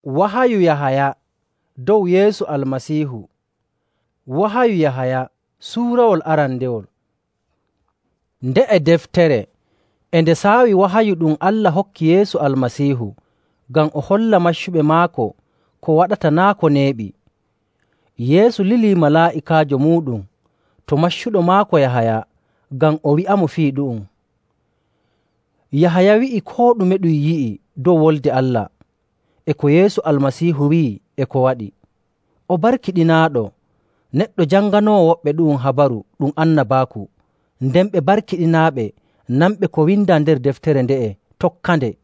Wahayu Yahaya dow Yeesu Almasiihu. Wahayu Yahaya suurawol arandewol. Nde'e deftere e nde saawi wahayu ɗum Allah hokki Yeesu Almasiihu ngam o holla maccuɓe maako ko waɗata naa' ko neeɓi. Yeesu lilii malaa'ikaajo muuɗum to maccuɗo maako Yahaya ngam o wi'amo fii ɗu'um. Yahaya wi'i koo ɗume ɗum yi'i dow Wolde Allah e ko Yeesu Almasiihu wi'i e ko waɗi. O barkiɗinaaɗo, neɗɗo janganoowo woɓɓe ɗu'um habaru ɗum annabaaku, nden ɓe barkiɗinaaɓe nanɓe ko windaa nder deftere nde'e tokkande,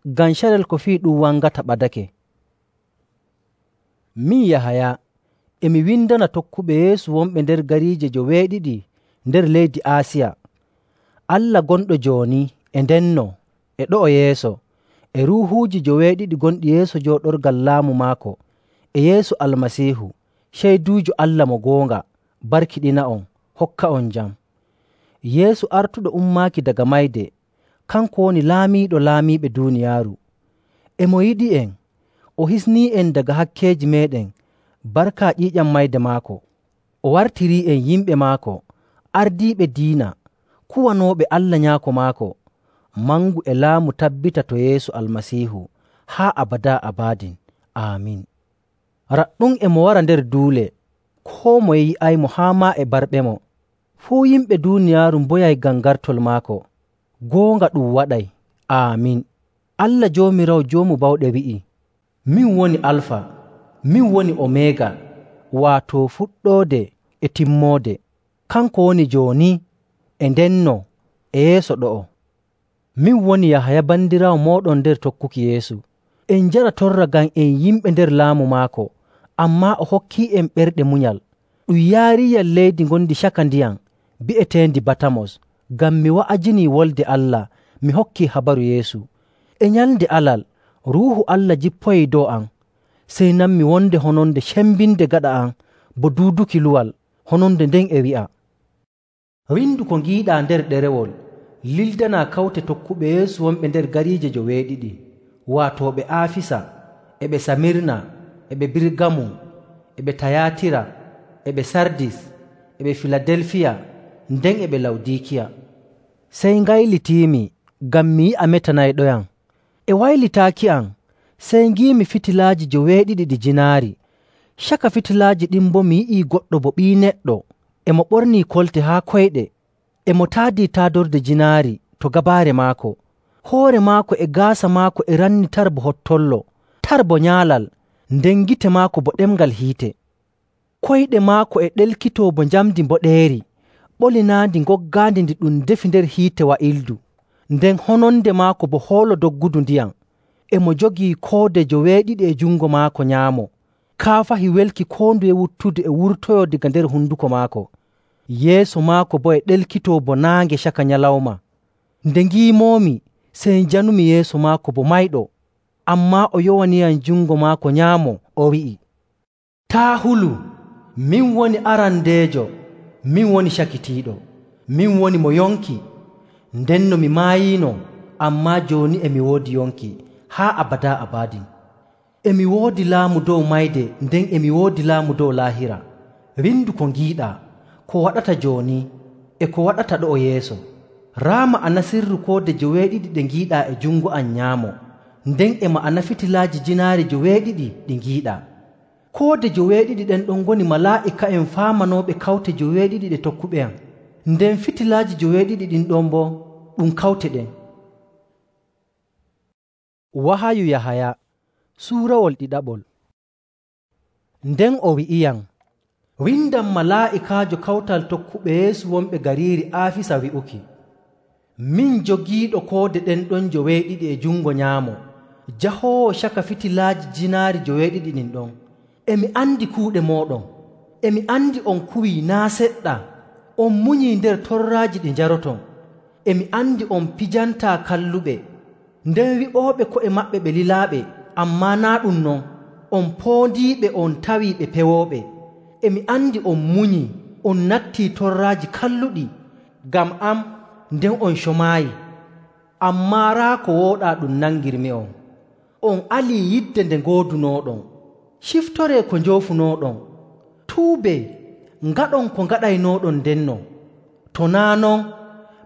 ngam carel ko fii ɗum wangata ɓadake. Min Yahaya e mi windana tokkuɓe Yeesu wonɓe nder gariije 7 nder leydi Aasiya. Allah gonɗo jooni e ndenno e ɗo'o yeeso, e ruuhuuji 7 gonɗi yeeso jooɗorgal laamu maako, e Yeesu Almasiihu, ceyduujo Allah mo goonga, barkiɗina'on, hokka'on jam. Yeesu artuɗo ummaaki daga mayde, kanko woni laamiiɗo laamiiɓe duuniyaaru. E mo yiɗi'en, o hisnii'en daga hakkeeji meeɗen barka ƴiiƴam mayde maako. O wartirii'en yimɓe maako, ardiiɓe diina, kuwanooɓe Allah Nyaako maako, mangu e laamu tabbita to Yeesu Almasiihu haa abadaa abadin. Aamin. Raɗɗum e mo wara nder duule, koo moye yi'aymo haa maa e barɓemo. Fuu yimɓe duuniyaaru mboyay ngam gartol maako. Goonga ɗum waɗay. Aamin. Allah Joomiraawo Joomu Bawɗe wi'i, min woni Alfa, min woni Omeega, waato fuɗɗoode e timmoode. Kanko woni jooni e ndenno e yeeso ɗo'o. Min woni Yahaya bandiraawo mooɗon nder tokkuki Yeesu. En njara torra ngam en yimɓe nder laamu maako, ammaa o hokkii'en ɓerɗe munyal. Ɗum yaariiyam leydi ngondi caka ndiyam bi'eteendi Batamos, ngam mi wa'ajinii Wolde Allah, mi hokkii habaru Yeesu. E nyalnde alal, Ruuhu Allah jippoyii dow am, sey nanmi wonde hononde cembinde gaɗa am bo duuduki luwal. Hononde nden e wi'a, windu ko ngiiɗaa nder ɗerewol, lildanaa kawte tokkuɓe Yeesu wonɓe nder gariije 7, waato ɓe Aafisa, e ɓe Samirna, e ɓe Birgamum, e ɓe Tayatira, e ɓe Sardis, e ɓe Filadelfiya, nden e ɓe Lawdikiya. Sey ngaylitiimi ngam mi yi'a metanayɗoyam. E waylitaaki am, sey ngiimi fitilaaji 7 ɗi jinaari. Caka fitilaaji ɗin boo mi yi'ii goɗɗo bo ɓii neɗɗo, e mo ɓornii kolte haa koyɗe, e mo taadii taadorde jinaari to gabaare maako. Hoore maako e gaasa maako e ranni tar bo hottollo, tar bo nyaalal, nden gite maako bo ɗemngal hiite. Koyɗe maako e ɗelkitoo bo njamndi mboɗeeri, ɓolinaandi ngoggaandi ndi ɗum defi nder hiite wa'ildu, nden hononde maako bo hoolo doggudu ndiyam. E mo jogii koode 7 e jungo maako nyaamo. Kaafahi welki koo nduye wuttude e wurtoyoo daga nder hunduko maako. Yeeso maako boo e ɗelkitoo bo naange caka nyalawma. Nde ngiimoomi, sey njanumi yeeso maako bo mayɗo. Ammaa o yowaniyam jungo maako nyaamo, o wi'i, taa hulu, min woni arandeejo, min woni cakitiiɗo, min woni mo yonki. Ndenno mi maayiino, ammaa jooni e mi woodi yonki haa abadaa abadin. E mi woodi laamu dow mayde, nden e mi woodi laamu dow laahira. Windu ko ngiiɗaa, ko waɗata jooni, e ko waɗata ɗo'o yeeso. Raa ma'ana sirru koode 7 ɗe ngiiɗaa e jungo am nyaamo, nden e ma'ana fitilaaji jinaari 7 ɗi ngiiɗaa. Koode 7 ɗen ɗon ngoni malaa'ika'en faamanooɓe kawte 7 ɗe tokkuɓe am, nden fitilaaji 7 ɗin ɗon boo ɗum kawte ɗen. Wahayu Yahaya suurawol 2. Nden o wi'iyam, windan malaa'ikaajo kawtal tokkuɓe Yeesu wonɓe gariiri Aafisa wi'uki, min jogiiɗo koode ɗen ɗon 7 e jungo nyaamo, jahoowo caka fitilaaji jinaari 7 ɗin ɗon. E mi andi kuuɗe mooɗon, e mi andi on kuwii naa seɗɗa, on munyii nder torraaji ɗi njaroton, e mi andi on pijantaa kalluɓe, nden wi'ooɓe ko'e maɓɓe ɓe lilaaɓe, ammaa naa ɗum non, on poondiiɓe on tawii ɓe pewooɓe. E mi andi on munyii, on nattii torraaji kalluɗi ngam am, nden on comaayi. Ammaa raa ko wooɗaa ɗum nangirmi'on. On alii yidde nde ngoodunooɗon. Ciftoree ko njoofunooɗon. Tuubee, ngaɗon ko ngaɗaynooɗon ndenno. To naa' non,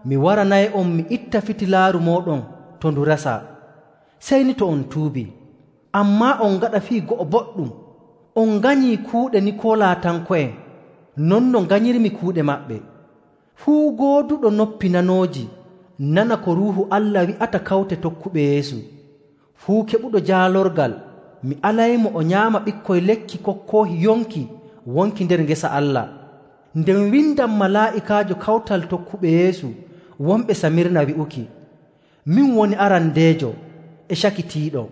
mi waranay'on mi itta fitilaaru mooɗon to ndu rasaa, sey ni to on tuubii. Ammaa on ngaɗa fii go'o boɗɗum. On nganyii kuuɗe Nikoolaatanko'en, non no nganyirmi kuuɗe maɓɓe. Fuu gooduɗo noppi nanooji nana ko Ruuhu Allah wi'ata kawte tokkuɓe Yeesu. Fuu keɓuɗo jaalorgal, mi alaymo o nyaama ɓikkoy lekki kokkoohi yonki wonki nder ngesa Allah. Nden windan malaa'ikaajo kawtal tokkuɓe Yeesu wonɓe Samirna wi'uki: Min woni arandeejo e cakitiiɗo,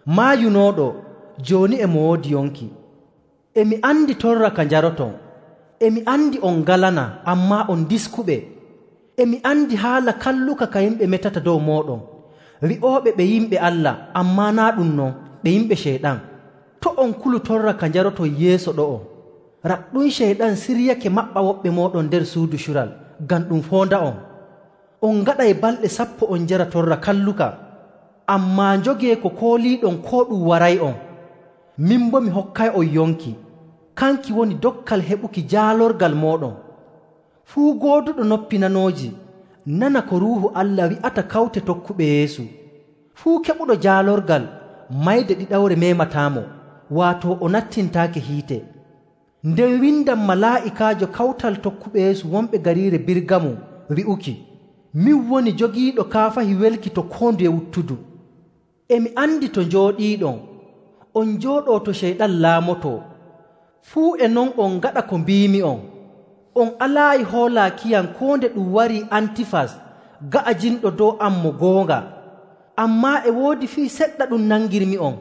maayunooɗo, jooni e mo woodi yonki. E mi andi torra ka njaroton. E mi andi on ngalana, ammaa on diskuɓe. E mi andi haala kalluka ka yimɓe metata dow mooɗon, wi'ooɓe ɓe yimɓe Allah, ammaa naa ɗum non, ɓe yimɓe Ceyɗan. To' on kulu torra ka njaroton yeeso ɗo'o. Raɗɗum Ceyɗan siryake maɓɓa woɓɓe mooɗon nder suudu cural ngam ɗum foonda'on. On ngaɗay balɗe 10 on njara torra kalluka, ammaa njogee ko kooliiɗon koo ɗum waray'on. Min boo mi hokkay'on yonki, kanki woni dokkal heɓuki jaalorgal mooɗon. Fuu gooduɗo noppi nanooji nana ko Ruuhu Allah wi'ata kawte tokkuɓe Yeesu. Fuu keɓuɗo jaalorgal mayde ɗiɗawre memataamo, waato o nattintaake hiite. Nden windan malaa'ikaajo kawtal tokkuɓe Yeesu wonɓe gariire Birgamu wi'uki: Min woni jogiiɗo kaafahi welki to koo nduye wuttudu. E mi andi to njooɗiiɗon, on njooɗoo to Ceyɗan laamotoo. Fuu e non on ngaɗa ko mbiimi'on. On alaayi hoolaakiyam koo nde ɗum warii Antifas ga'ajinɗo dow am mo goonga. Ammaa e woodi fii seɗɗa ɗum nangirmi'on.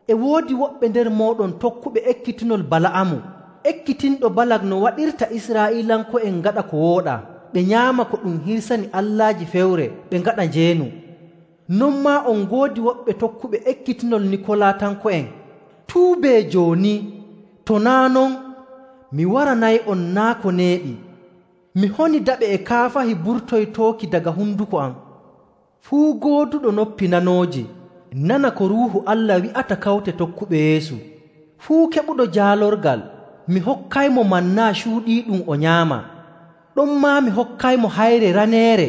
E woodi woɓɓe nder mooɗon tokkuɓe ekkitinol Bala'amu, ekkitinɗo Balak no waɗirta Israa'iilanko'en ngaɗa ko wooɗaa, ɓe nyaama ko ɗum hirsani allaaji fewre, ɓe ngaɗa njeenu. Non maa on ngoodi woɓɓe tokkuɓe ekkitinol Nikolaatanko'en. Tuubee jooni, to naa' non, mi waranay'on naa ko neeɓi. Mi honi daɓe e kaafahi burtoytooki daga hunduko am. Fuu gooduɗo noppi nanooji nana ko Ruuhu Allah wi'ata kawte tokkuɓe Yeesu. Fuu keɓuɗo jaalorgal, mi hokkaymo mannaa cuuɗiiɗum o nyaama. Ɗonmaa mi hokkaymo hayre raneere,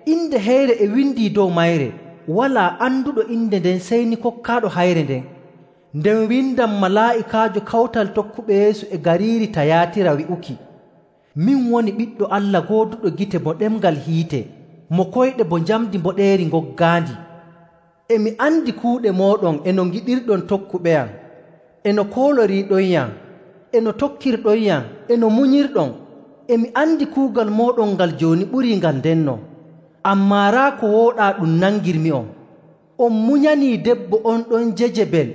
inde heyre e windii dow mayre. Walaa anduɗo inde nden sey ni kokkaaɗo hayre nden. Nden windan malaa'ikaajo kawtal tokkuɓe Yeesu e gariiri Tayaatira wi'uki: Min woni Ɓiɗɗo Allah gooduɗo gite bo ɗemngal hiite, mo koyɗe bo njamdi mboɗeeri ngoggaandi. E mi andi kuuɗe mooɗon e no ngiɗirɗon tokkuɓeyam, e no kooloriiɗonyam, e no tokkirɗonyam, e no munyirɗon. E mi andi kuugal mooɗon ngal jooni ɓurii ngal ndenno. Ammaa raa ko wooɗaa ɗum nangirmi'on. On munyanii debbo on ɗon Jejebel,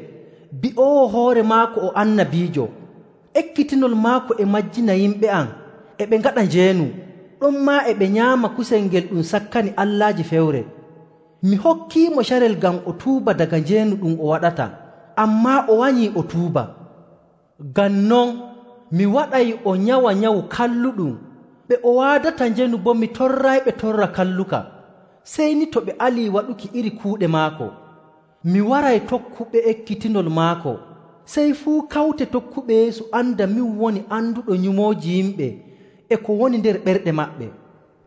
bi'oowo hoore maako o annabiijo. Ekkitinol maako e majjina yimɓe am, e ɓe ngaɗa njeenu. Ɗonmaa e ɓe nyaama kusel ngel ɗum sakkani allaaji fewre. Mi hokkiimo carel ngam o tuuba daga njeenu ɗum o waɗata, ammaa o wanyii o tuuba. Ngam non mi waɗay o nyawa nyawu kalluɗum. Ɓe o waadata njeenu boo mi torrayɓe torra kalluka, sey ni to ɓe alii waɗuki iri kuuɗe maako. Mi waray tokkuɓe ekkitinol maako, sey fuu kawte tokkuɓe Yeesu anda min woni anduɗo nyumooji yimɓe e ko woni nder ɓerɗe maɓɓe.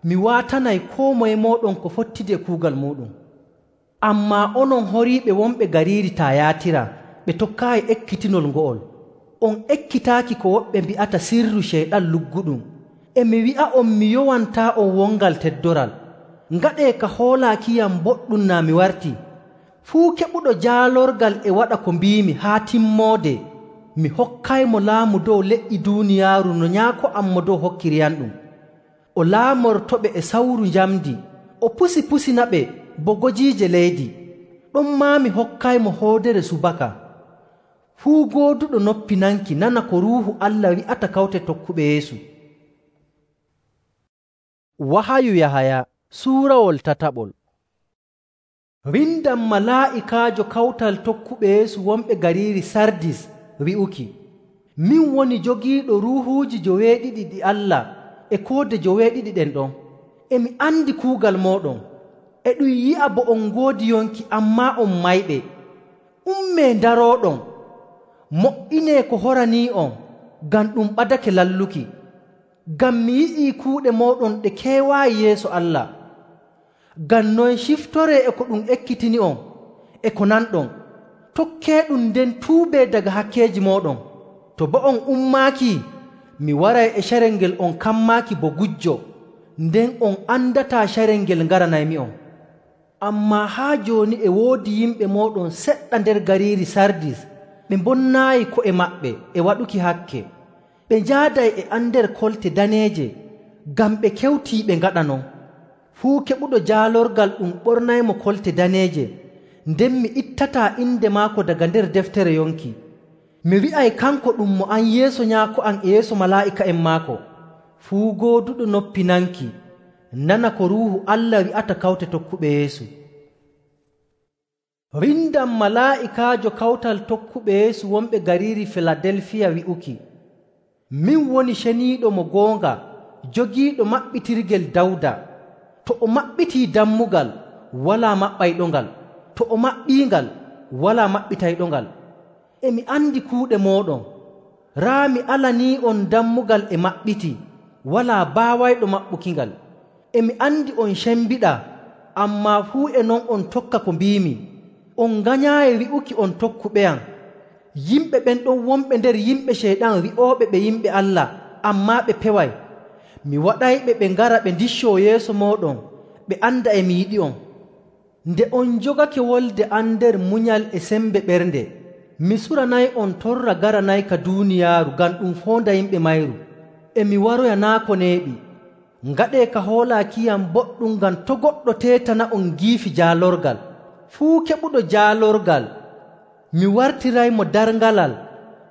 Mi waatanay koo moye mooɗon ko fottidi e kuugal muuɗum. Ammaa onon horiiɓe wonɓe gariiri Tayaatira, ɓe tokkaayi ekkitinol ngo'ol. On ekkitaaki ko woɓɓe mbi'ata sirru Ceyɗan lugguɗum. E mi wi'a'on mi yowantaa on wongal teddoral. Ngaɗee ka hoolaakiyam boɗɗum naa mi warti. Fuu keɓuɗo jaalorgal e waɗa ko mbiimi haa timmoode, mi hokkaymo laamu dow leƴƴi duuniyaaru no nyaako am mo dow hokkiriyanɗum. O laamortoɓe e sawru njamdi, o pusinaɓe bo gojiije leydi. Ɗonmaa mi hokkaymo hoodere subaka. Fuu gooduɗo noppi nanki nana ko Ruuhu Allah wi'ata kawte tokkuɓe Yeesu. Wahayu Yahaya suurawol tataɓol. Windan malaa'ikaajo kawtal tokkuɓe Yeesu wonɓe gariiri Sardis wi'uki: Min woni jogiiɗo ruuhuuji 7 ɗi Allah e koode 7 ɗen ɗon. E mi andi kuugal mooɗon. E ɗum yi'a bo on ngoodi yonki, ammaa on mayɓe. Ummee ndarooɗon, mo''inee ko horanii'on, ngam ɗum ɓadake lalluki. Ngam mi yi'ii kuuɗe mooɗon ɗe keewaayi yeeso Allah. Ngam non ciftoree e ko ɗum ekkitini'on e ko nanɗon. Tokkeeɗum nden tuubee daga hakkeeji mooɗon. To boo on ummaakii, mi waray e carel ngel on kammaaki bo gujjo, nden on andataa carel ngel ngaranaymi'on. Ammaa haa jooni e woodi yimɓe mooɗon seɗɗa nder gariiri Sardis ɓe mbonnaayi ko'e maɓɓe e waɗuki hakke. Ɓe njaaday e am nder kolte daneeje, ngam ɓe kewtii ɓe ngaɗa non. Fuu keɓuɗo jaalorgal ɗum ɓornaymo kolte daneeje, nden mi ittataa inde maako daga nder deftere yonki. Mi wi'ay kanko ɗum mo am yeeso Nyaako am e yeeso malaa'ika'en maako. Fuu gooduɗo noppi nanki, nana ko Ruuhu Allah wi'ata kawte tokkuɓe Yeesu. Windam malaa'ikaajo kawtal tokkuɓe Yeesu wonɓe gariiri Filadelfiya wi'uki: Min woni ceniiɗo mo goonga, jogiiɗo maɓɓitirgel Dawda. To o maɓɓitii dammugal, walaa maɓɓayɗongal. To o maɓɓiingal, walaa maɓɓitayɗongal. E mi andi kuuɗe mooɗon. Raa mi alanii'on dammugal e maɓɓiti, walaa baawayɗo maɓɓukingal. E mi andi on cembiɗaa, ammaa fuu e non on tokka ko mbiimi. On nganyaayi wi'uki on tokkuɓeyam. Yimɓe ɓen ɗon wonɓe nder yimɓe Ceyɗan wi'ooɓe ɓe yimɓe Allah, ammaa ɓe peway. Mi waɗayɓe ɓe ngara ɓe ndiccoo yeeso mooɗon, ɓe anda e mi yiɗi'on. Nde on jogake wolde am nder munyal e sembe ɓernde, mi suranay'on torra garanayka duuniyaaru ngam ɗum foonda yimɓe mayru. E mi waroya naa ko neeɓi. Ngaɗee ka hoolaakiyam boɗɗum ngam to' goɗɗo teetana'on giifi jaalorgal. Fuu keɓuɗo jaalorgal, mi wartiraymo darngalal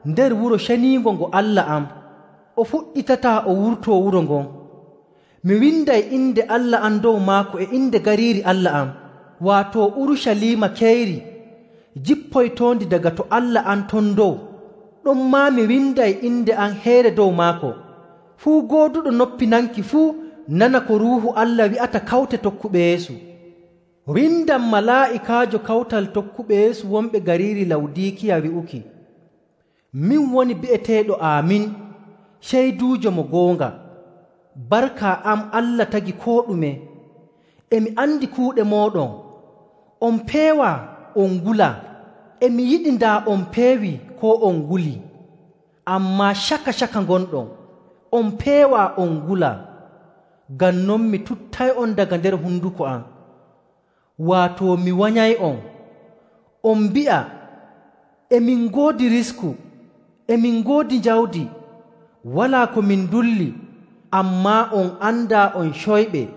nder wuro ceniingo ngo Allah am. O fuɗɗitataa o wurtoo wuro ngon. Mi winday inde Allah am dow maako e inde gariiri Allah am, waato Urucaliima keyri, jippoytoondi daga to Allah am ton dow. Ɗonmaa mi winday inde am heere dow maako. Fuu gooduɗo noppi nanki fuu nana ko Ruuhu Allah wi'ata kawte tokkuɓe Yeesu. Windam malaa'ikaajo kawtal tokkuɓe Yeesu wonɓe gariiri Lawdiikiya wi'uki: Min woni bi'eteeɗo Aamin, ceyduujo mo goonga. Barka am Allah tagi koo ɗume. E mi andi kuuɗe mooɗon. On peewaa, on ngulaa. E mi yiɗi ndaa on peewii koo on ngulii. Ammaa caka ngonɗon. On peewaa, on ngulaa. Ngam non mi tuttay'on daga nder hunduko am. Waato mi wanyay'on. On mbi'a, emin ngoodi risku, emin ngoodi jawdi, walaa ko min ndulli, ammaa on andaa on coyɓe,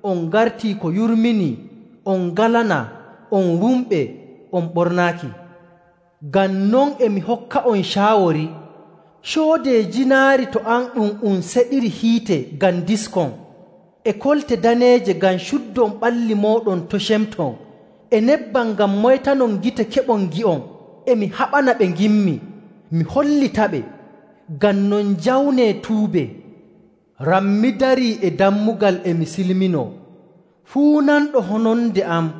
on ngartii ko yurminii, on ngalanaa, on wumɓe, on ɓornaaki. Ngam non e mi hokka'on caawori, coodee jinaari to an ɗum seɗiri hiite ngam diskon, e kolte daneeje ngam cuddon ɓalli mooɗon to cemton, e nebbam ngam moytanon gite keɓon gi'on. E mi haɓana ɓe ngimmi, mi hollitaɓe. Ngam non jawnee tuube. Rammi darii e dammugal e mi silminoo. Fuu nanɗo hononde am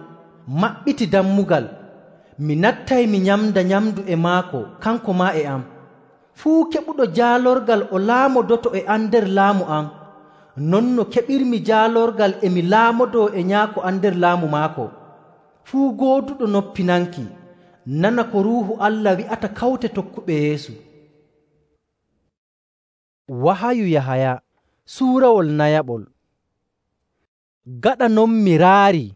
maɓɓiti dammugal. Mi nattay mi nyamda nyamdu e maako, kanko maa e am. Fuu keɓuɗo jaalorgal o laamodoto e am nder laamu am, non no keɓirmi jaalorgal e mi laamodoo e Nyaako am nder laamu maako. Fuu gooduɗo noppi nanki, nana ko Ruuhu Allah wi'ata kawte tokkuɓe Yeesu. Wahayu Yahaya suurawol nayaɓol. Gaɗa non mi raari,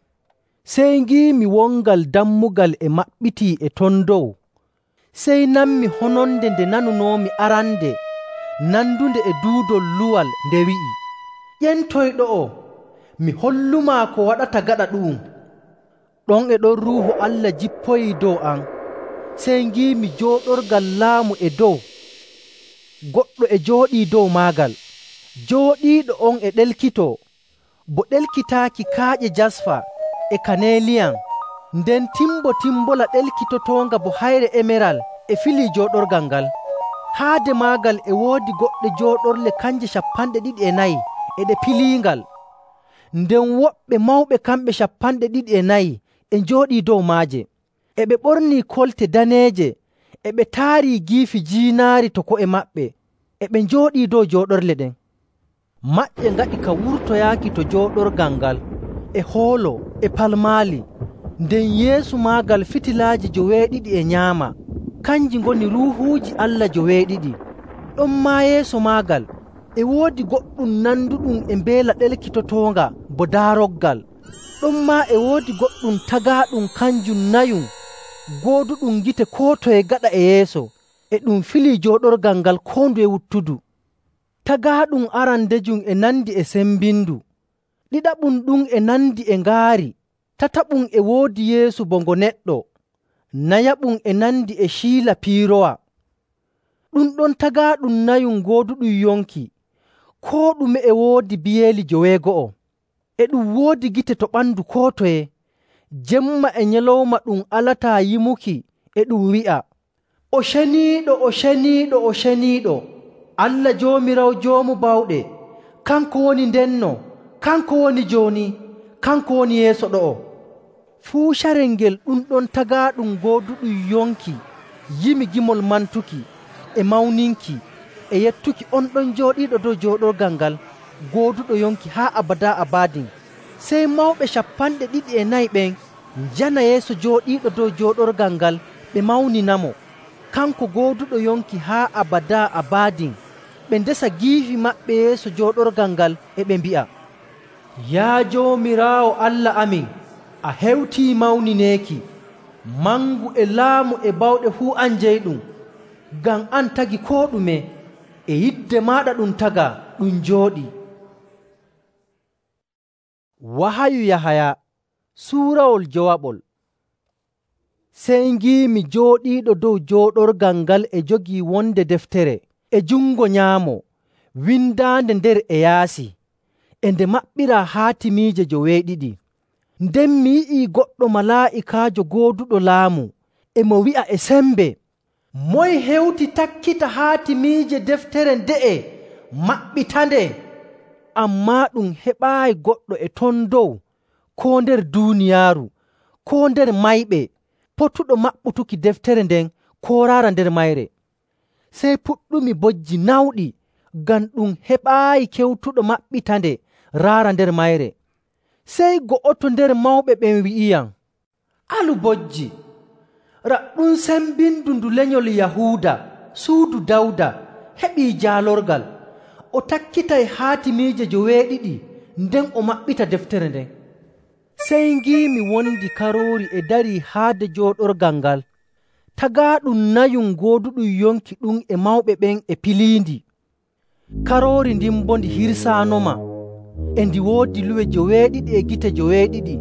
sey ngiimi wongal dammugal e maɓɓitii e ton dow. Sey nanmi hononde nde nanunoomi arande, nandunde e duudol luwal nde wi'i: Ƴentoyɗo'o, mi hollumaa ko waɗata gaɗa ɗu'um. Ɗon e ɗon Ruuhu Allah jippoyii dow am. Sey ngiimi jooɗorgal laamu e dow. Goɗɗo e jooɗii dow maagal. Jooɗiiɗo on e ɗelkitoo, bo ɗelkitaaki kaaƴe jasfa e kaneliyan, nden timbola ɗelkitotoonga bo hayre emeral e filii jooɗorgal ngal. Haade maagal e woodi goɗɗe jooɗorle kanje 24 e ɗe piliingal. Nden woɓɓe mawɓe kamɓe 24 e njooɗii dow maaje. E ɓe ɓornii kolte daneeje, e ɓe taarii giifi jiinaari to ko'e maɓɓe, e ɓe njooɗii dow jooɗorle ɗen. Maƴƴe ngaɗi ka wurtoyaaki to jooɗorgal ngal, e hoolo, e palmaali. Nden yeeso maagal fitilaaji joweeɗiɗi e nyaama, kanji ngoni ruuhuuji Allah joweeɗiɗi. Ɗonmaa yeeso maagal e woodi goɗɗum nanduɗum e mbeela ɗelkitotoonga bo daaroggal. Ɗonmaa e woodi goɗɗum tagaaɗum kanjum nayum, gooduɗum gite koo toye gaɗa e yeeso, e ɗum filii jooɗorgal ngal koo nduye wuttudu. Tagaaɗum arandejum e nandi e sembindu, ɗiɗaɓum ɗum e nandi e ngaari, tataɓum e woodi yeeso bo ngo neɗɗo, nayaɓum e nandi e ciila piirowa. Ɗum ɗon tagaaɗum nayum gooduɗum yonki, koo ɗume e woodi biyeeli 90, e ɗum woodi gite to ɓandu koo toye. Jemma e nyalawma ɗum alataa yimuki, e ɗum wi'a, “O ceniiɗo, o ceniiɗo, o ceniiɗo, Allah Joomiraawo Joomu Bawɗe, kanko woni ndenno, kanko woni jooni, kanko woni yeeso ɗo'o.” Fuu carel ngel ɗum ɗon tagaaɗum gooduɗum yonki yimi gimol mantuki, e mawninki, e yettuki on ɗon jooɗiiɗo dow jooɗorgal ngal gooduɗo yonki haa abadaa abadin. Sey mawɓe 204 ɓen njana yeeso jooɗiiɗo dow jooɗorgal ngal ɓe mawninamo, kanko gooduɗo yonki haa abadaa abadin. Ɓe ndesa giifi maɓɓe yeeso jooɗorgal ngal, e ɓe mbi'a, “Yaa Joomiraawo Allah amin, a hewtii mawnineeki, mangu e laamu e bawɗe fuu an jeyɗum, ngam an tagi koo ɗume, e yidde maaɗa ɗum tagaa, ɗum jooɗii.” Wahayu Yahaya suurawol jowaɓol. Sey ngiimi jooɗiiɗo dow jooɗorgal ngal e jogii wonde deftere e jungo nyaamo, windaande nder e yaasi, e nde maɓɓiraa haatimiije 70. Nden mi yi'ii goɗɗo malaa'ikaajo gooduɗo laamu, e mo wi'a e sembe, “Moye hewti takkita haatimiije deftere nde'e maɓɓitande?” Ammaa ɗum heɓaayi goɗɗo e ton dow, koo nder duuniyaaru, koo nder mayɓe, potuɗo maɓɓutuki deftere nden koo raara nder mayre. Sey puɗɗumi bojji nawɗi, ngam ɗum heɓaayi kewtuɗo maɓɓitande raara nder mayre. Sey go'oto nder mawɓe ɓen wi'iyam, “Alu bojji, raɗɗum sembindu ndu lenyol Yahuuda, suudu Dawda, heɓii jaalorgal. O takkitay haatimiije 70, nden o maɓɓita deftere nden.” Sey ngiimi wondi Karoori e darii haade jooɗorgal ngal. Tagaaɗum nayum gooduɗum yonki ɗum e mawɓe ɓen e piliindi. Karoori ndin boo ndi hirsaanoma, e ndi woodi luwe 70 e gite 70.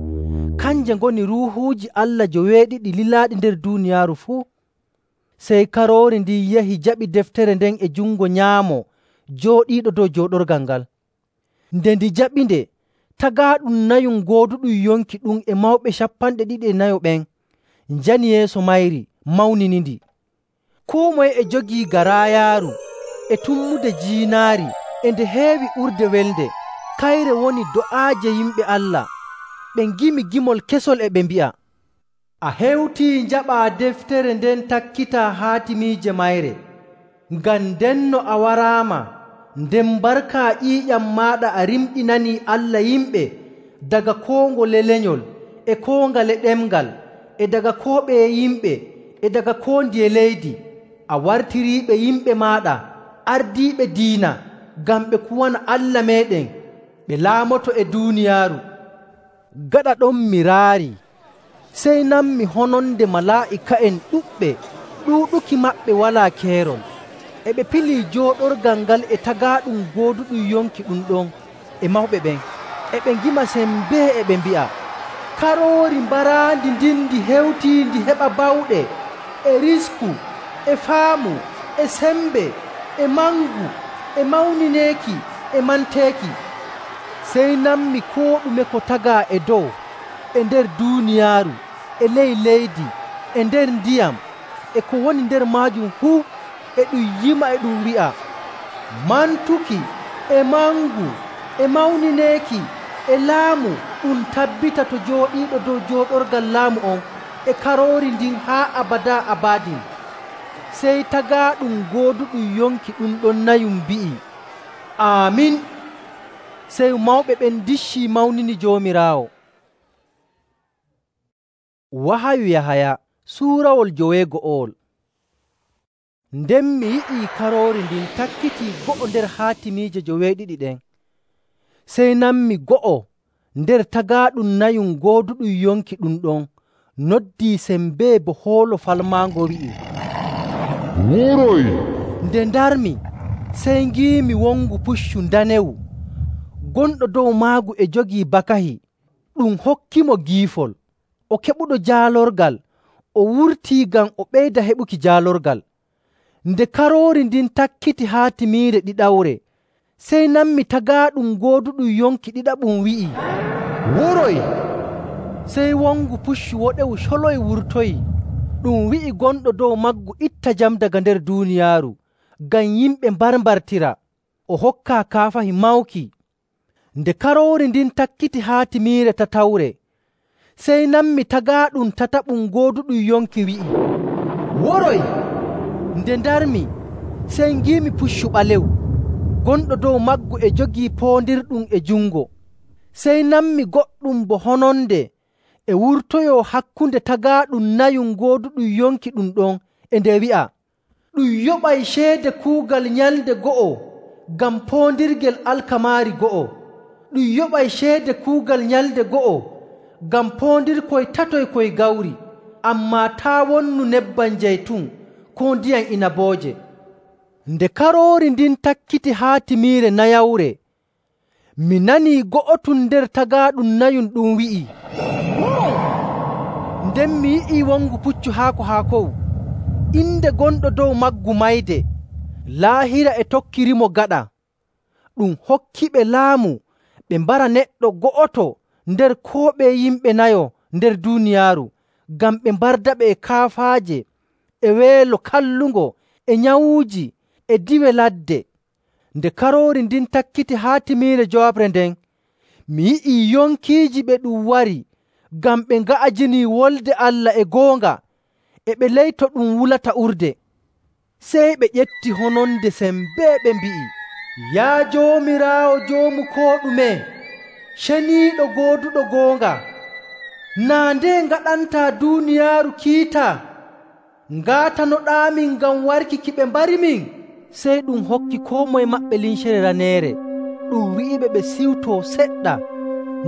Kanje ngoni ruuhuuji Allah 70 lilaaɗi nder duuniyaaru fuu. Sey Karoori ndin yahi jaɓi deftere nden e jungo nyaamo jooɗiiɗo dow jooɗorgal ngal. Nde ndi jaɓinde, tagaaɗum nayum gooduɗum yonki ɗum e mawɓe 24 ɓen njani yeeso mayri mawninindi. Koo moye e jogii garaayaaru e tummude jiinaari e nde heewi urde welde. Kayre woni do'aaje yimɓe Allah. Ɓe ngimi gimol kesol e ɓe mbi'a, “A hewtii njaɓaa deftere nden takkitaa haatimiije mayre, ngam ndenno a waraama, nden barka ƴiiƴam maaɗa a rimɗinanii Allah yimɓe daga koo ngole lenyol, e koo ngale ɗemngal, e daga koo ɓeye yimɓe, e daga koo ndiye leydi. A wartiriiɓe yimɓe maaɗa ardiiɓe diina, ngam ɓe kuwana Allah meeɗen, ɓe laamoto e duuniyaaru.” Gaɗa ɗon mi raari, sey nanmi hononde malaa'ika'en ɗuɗɓe, ɗuuɗuki maɓɓe walaa keerol. E ɓe pilii jooɗorgal ngal e tagaaɗum gooduɗum yonki ɗum ɗon e mawɓe ɓen. E ɓe ngima sembee e ɓe mbi'a, “Karoori mbaraandi ndin ndi hewtii ndi heɓa bawɗe, e risku, e faamu, e sembe, e mangu, e mawnineeki, e manteeki.” Sey nanmi koo ɗume ko tagaa e dow, e nder duuniyaaru, e ley leydi, e nder ndiyam, e ko woni nder maajum fuu, e ɗum yima e ɗum wi'a, “Mantuki, e mangu, e mawnineeki, e laamu ɗum tabbita to jooɗiiɗo dow jooɗorgal laamu on, e karoori ndin haa abadaa abadin.” Sey tagaaɗum gooduɗum yonki ɗum ɗon nayum mbi'i, “Aamin.” Sey mawɓe ɓen ndiccii mawnini Joomiraawo. Wahayu Yahaya suurawol 12. Nden mi yi'ii karoori ndin takkitii go'o nder haatimiije 12 ɗen. Sey nanmi go'o nder tagaaɗum nayum gooduɗum yonki ɗum ɗon noddii sembee bo hoolo falmaango wi'i, “Woroy!” Nde ndarmi, sey ngiimi wongu puccu ndanewu. Gonɗo dow maagu e jogii bakahi, ɗum hokkimo giifol. O keɓuɗo jaalorgal, o wurtii ngam o ɓeyda heɓuki jaalorgal. Nde karoori ndin takkiti haatimiire ɗiɗawre, sey nanmi tagaaɗum gooduɗum yonki ɗiɗaɓum wi'i, “Woroy!” Sey wongu puccu woɗewu coloy wurtoyi. Ɗum wi'i gonɗo dow maggu, “Itta jam daga nder duuniyaaru, ngam yimɓe mbarmbartira.” O hokkaa kaafahi mawki. Nde karoori ndin takkiti haatimiire tatawre, sey nanmi tagaaɗum tataɓum gooduɗum yonki wi'i, “Woroy!” Nde ndarmi, sey ngiimi puccu ɓalewu. Gonɗo dow maggu e jogii poondirɗum e jungo. Sey nanmi goɗɗum bo hononde e wurtoyoo hakkunde tagaaɗum nayum gooduɗum yonki ɗum ɗon e nde wi'a, “Ɗum yoɓay ceede kuugal nyalnde go'o ngam poondirgel alkamaari go'o. Ɗum yoɓay ceede kuugal nyalnde go'o ngam poondirkoy tatoy koy gawri, ammaa taa' wonnu nebbam jaytun koo ndiyam inabooje.” Nde karoori ndin takkiti haatimiire nayawre, mi nanii go'otum nder tagaaɗum nayum ɗum wi'i, “Woroy!” Nden mi yi'ii wongu puccu haako‑haakowu. Inde gonɗo dow maggu Mayde. Laahira e tokkirimo gaɗa. Ɗum hokkiɓe laamu ɓe mbara neɗɗo go'oto nder koo ɓeye yimɓe nayo nder duuniyaaru, ngam ɓe mbardaɓe e kaafaaje, e weelo kallungo, e nyawuuji, e diwe ladde. Nde karoori ndin takkiti haatimiire jooɓre nden, mi yi'ii yonkiiji ɓe ɗum wari ngam ɓe nga'ajinii Wolde Allah e goonga, e ɓe ley to ɗum wulata urde. Sey ɓe ƴetti hononde sembee ɓe mbi'i, “Yaa Joomiraawo Joomu koo ɗume, ceniiɗo gooduɗo goonga, naa nde ngaɗantaa duuniyaaru kiita? Ngaatanoɗaamin ngam warki ki ɓe mbarimin?” Sey ɗum hokki koo moye maɓɓe limcere raneere, ɗum wi'iɓe ɓe siwtoo seɗɗa,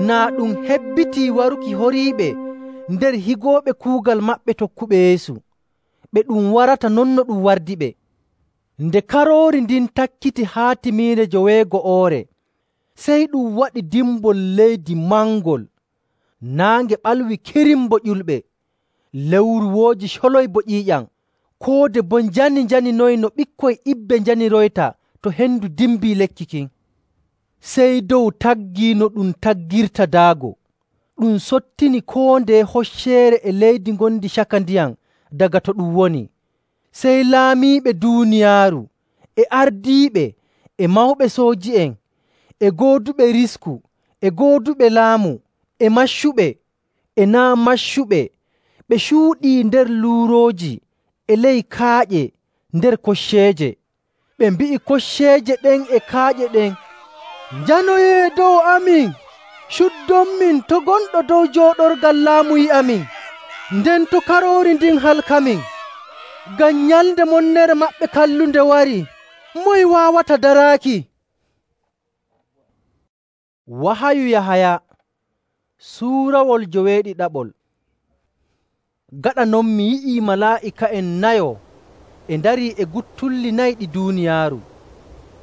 naa ɗum hebbitii waruki horiiɓe nder higooɓe kuugal maɓɓe tokkuɓe Yeesu, ɓe ɗum warata non no ɗum wardiɓe. Nde karoori ndin takkiti haatimiire 12, sey ɗum waɗi dimbol leydi mangol. Naange ɓalwi kirim bo ƴulɓe, lewru wooji coloy bo ƴiiƴam, koode boo njani-njaninoyi no ɓikkoy ibbe njaniroyta to hendu dimbii lekki kin. Sey dow taggii no ɗum taggirta daago. Ɗum sottini koo ndeye hocceere e leydi ngondi caka ndiyam daga to ɗum woni. Sey laamiiɓe duuniyaaru, e ardiiɓe, e mawɓe sooji'en, e gooduɓe risku, e gooduɓe laamu, e maccuɓe, e naa' maccuɓe, ɓe cuuɗii nder luurooji, e ley kaaƴe, nder kocceeje. Ɓe mbi'i kocceeje ɗen e kaaƴe ɗen, “Njanoyee dow amin, cuddonmin to gonɗo dow jooɗorgal laamu yi'amin, nden to karoori ndin halkamin. Ngam nyalnde monnere maɓɓe kallunde wari, moye waawata daraaki?” Wahayu Yahaya suurawol 12. Gaɗa non mi yi'ii malaa'ika'en nayo e ndarii e guttulli nayi ɗi duuniyaaru.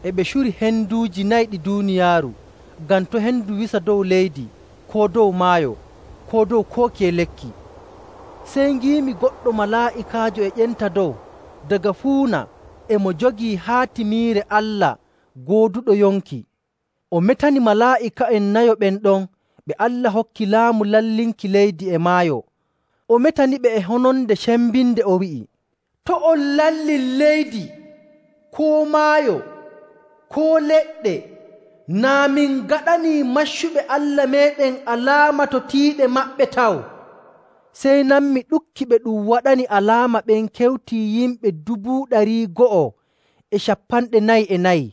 E ɓe curi henduuji nayi ɗi duuniyaaru ngam to' hendu wisa dow leydi, koo dow maayo, koo dow kookiye lekki. Sey ngiimi goɗɗo malaa'ikaajo e ƴenta dow daga fuuna e mo jogii haatimiire Allah gooduɗo yonki. O metani malaa'ika'en nayo ɓen ɗon ɓe Allah hokki laamu lallinki leydi e maayo. O metaniɓe e hononde cembinde o wi'i, “To' on lallin leydi, koo maayo, koo leɗɗe, naa min gaɗanii maccuɓe Allah meeɗen alaama to tiiɗe maɓɓe taw.” Sey nanmi ɗukki ɓe ɗum waɗani alaama ɓen kewtii yimɓe 244,000.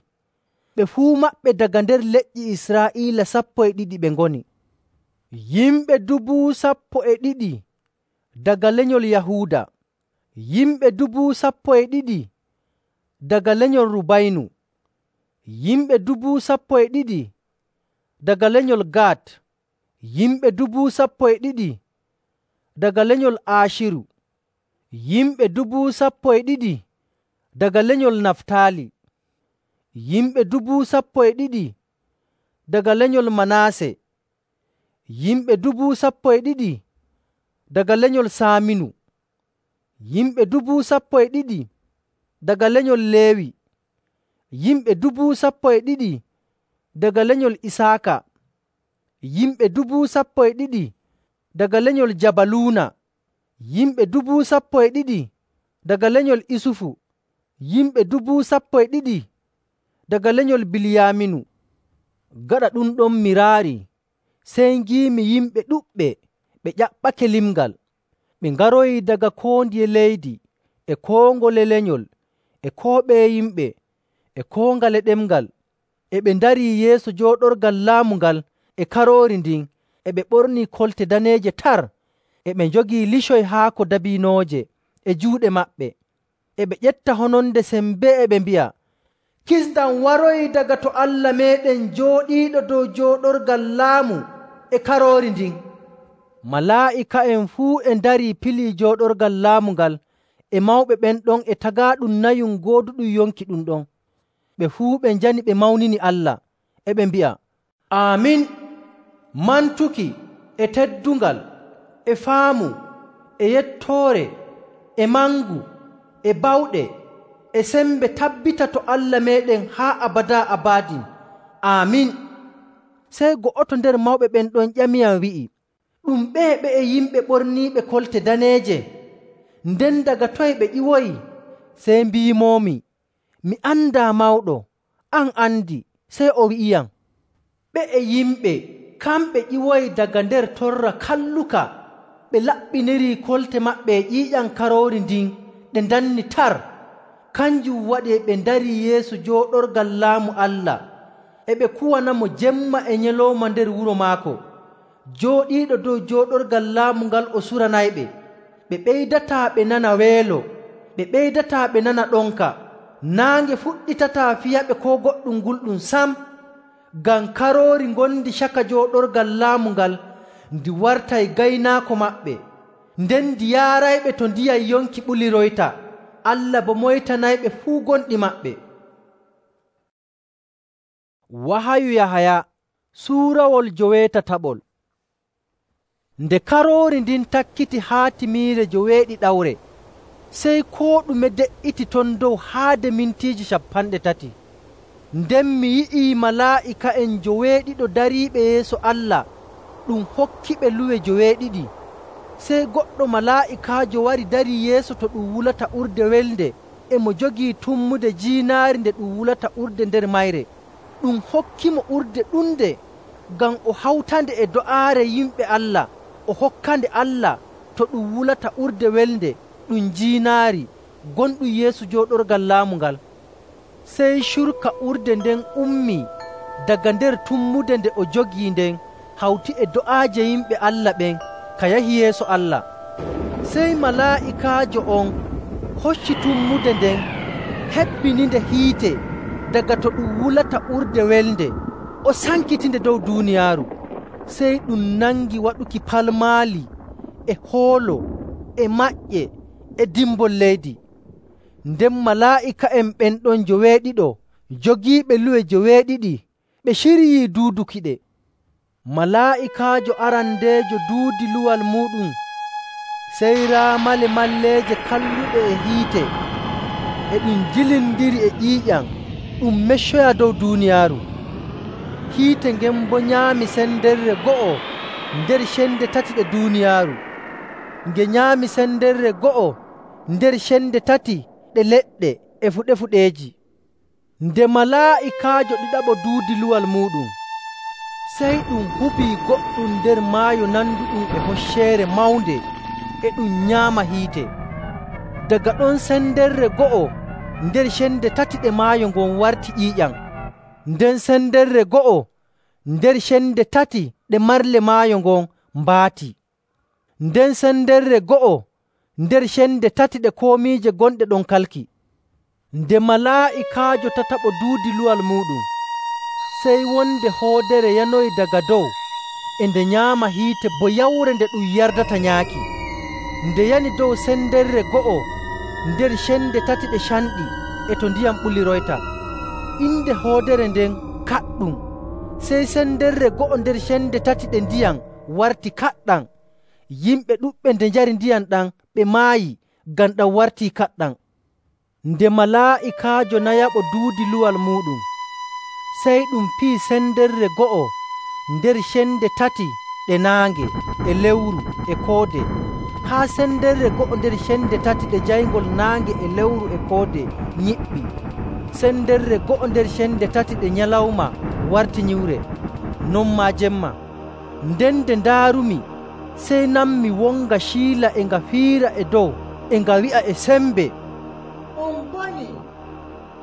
Ɓe fuu maɓɓe daga nder leƴƴi Israa'iila 12 ɓe ngoni. Yimɓe 12,000 daga lenyol Yahuuda, yimɓe 12,000 daga lenyol Rubaynu, yimɓe 12,000 daga lenyol Gad, yimɓe 12,000 daga lenyol Aashiru, yimɓe 12,000 daga lenyol Naftaali, yimɓe 12,000 daga lenyol Manaase, yimɓe 12,000 daga lenyol Saaminu, yimɓe 12,000 daga lenyol Leewi, yimɓe 12,000 daga lenyol Isaaka, yimɓe 12,000 daga lenyol Jabaluuna, yimɓe 12,000 daga lenyol Isufu, yimɓe 12,000 daga lenyol Bilyaaminu. Gaɗa ɗum ɗon miraari, sey ngiimi yimɓe ɗuɗɓe ɓe ƴaɓɓake limngal. Ɓe ngaroyi daga koo ndiye leydi, e koo ngole lenyol, e koo ɓeye yimɓe, e koo ngale ɗemngal. E ɓe ndarii yeeso jooɗorgal laamu ngal e Karoori ndin, e ɓe ɓornii kolte daneeje tar, e ɓe njogii licoy haako dabiinooje e juuɗe maɓɓe. E ɓe ƴetta hononde sembee e ɓe mbi'a, “Kisndam waroyi daga to Allah meeɗen jooɗiiɗo dow jooɗorgal laamu e Karoori ndin.” Malaa'ika'en fuu e ndarii pilii jooɗorgal laamu ngal e mawɓe ɓen ɗon e tagaaɗum nayum gooduɗum yonki ɗum ɗon. Ɓe fuu ɓe njani ɓe mawnini Allah, e ɓe mbi'a, “Aamin! Mantuki, e teddungal, e faamu, e yettoore, e mangu, e bawɗe, e sembe tabbita to Allah meeɗen haa abadaa abadin. Aamin!” Sey go'oto nder mawɓe ɓen ɗon ƴamiyam wi'i, “Ɗum ɓeye yimɓe ɓorniiɓe kolte daneeje? Nden daga toye ɓe ƴiwoyi?” Sey mbiimoomi, “Mi andaa mawɗo, an andi.” Sey o wi'iyam, “Ɓeye yimɓe kamɓe ƴiwoyi daga nder torra kalluka, ɓe laɓɓinirii kolte maɓɓe e ƴiiƴam Karoori ndin ɗe ndanni tar. Kanjum waɗi ɓe ndarii yeeso jooɗorgal laamu Allah, e ɓe kuwanamo jemma e nyalawma nder wuro maako. Jooɗiiɗo dow jooɗorgal laamu ngal o suranayɓe. Ɓe ɓeydataa ɓe nana weelo, ɓe ɓeydataa ɓe nana ɗonka. Naange fuɗɗitataa fiyaɓe koo goɗɗum gulɗum sam. Ngam Karoori ngondi caka jooɗorgal laamu ngal ndi wartay gaynaako maɓɓe, nden ndi yaarayɓe to ndiyam yonki ɓuliroyta. Allah bo moytanayɓe fuu gonɗi maɓɓe.” Wahayu Yahaya suurawol 17. Nde Karoori ndin takkiti haatimiire 17, sey koo ɗume de''iti ton dow haade mintiiji 30. Nden mi yi'ii malaa'ika'en 70 dariiɓe yeeso Allah ɗum hokkiɓe luwe 70. Sey goɗɗo malaa'ikaajo wari darii yeeso to ɗum wulata urde welde, e mo jogii tummude jiinaari nde ɗum wulata urde nder mayre. Ɗum hokkimo urde ɗunde ngam o hawtande e do'aare yimɓe Allah, o hokkande Allah to ɗum wulata urde welde ɗum jiinaari gonɗum yeeso jooɗorgal laamu ngal. Sey curka urde nden ummii daga nder tummude nde o jogii nden hawti e do'aaje yimɓe Allah ɓen ka yahi yeeso Allah. Sey malaa'ikaajo on hocci tummude nden, hebbininde hiite daga to ɗum wulata urde welde, o sankitinde dow duuniyaaru. Sey ɗum nangi waɗuki palmaali e hoolo e maƴƴe e dimbol leydi. Nden malaa'ika'en ɓen ɗon 70 jogiiɓe luwe 70 ɓe ciryii duudukiɗe. Malaa'ikaajo arandeejo duudi luwal muuɗum, sey raamale malleeje kalluɗe e hiite e ɗum jilindiri e ƴiiƴam ɗum meccoya dow duuniyaaru. Hiite ngen boo nyaami senderre go'o nder cende 3 ɗe duuniyaaru, nge nyaami senderre go'o nder cende 3 ɗe leɗɗe e fuɗe-fuɗeeji. Nde malaa'ikaajo ɗiɗaɓo duudi luwal muuɗum, sey ɗum hubii goɗɗum nder maayo nanduɗum e hocceere mawnde e ɗum nyaama hiite. Daga ɗon sendere go'o nder cende tati ɗe maayo ngon warti ƴiiƴam. Nden sendere go'o nder cende tati ɗe marle maayo ngon mbaati. Nden sendere go'o nder cende tati ɗe komiije gonɗe ɗon kalki. Nde malaa'ikaajo tataɓo duudi luwal muuɗum, sey wonde hoodere yanoyi daga dow e nde nyaama hiite bo yawre nde ɗum yardata nyaaki. Nde yani dow sendere go'o nder cende tati ɗe canɗi e to ndiyam ɓuliroyta. Inde hoodere nden Kaɗɗum. Sey sendere go'o nder cende tati ɗe ndiyam warti kaɗɗam. Yimɓe ɗuɗɓe nde njari ndiyam ɗam ɓe maayi ngam ɗam wartii kaɗɗam. Nde malaa'ikaajo nayaɓo duudi luwal muuɗum, sey ɗum fii sendere go'o nder cende tati ɗe naange e lewru e koode, haa sendere go'o nder cende tati ɗe jayngol naange e lewru e koode nyiɓɓi. Sendere go'o nder cende tati ɗe nyalawma warti nyiwre, non maa jemma. Nden nde ndaarumi, sey nanmi wonga ciila e nga fiira e dow e nga wi'a e sembe, On boni,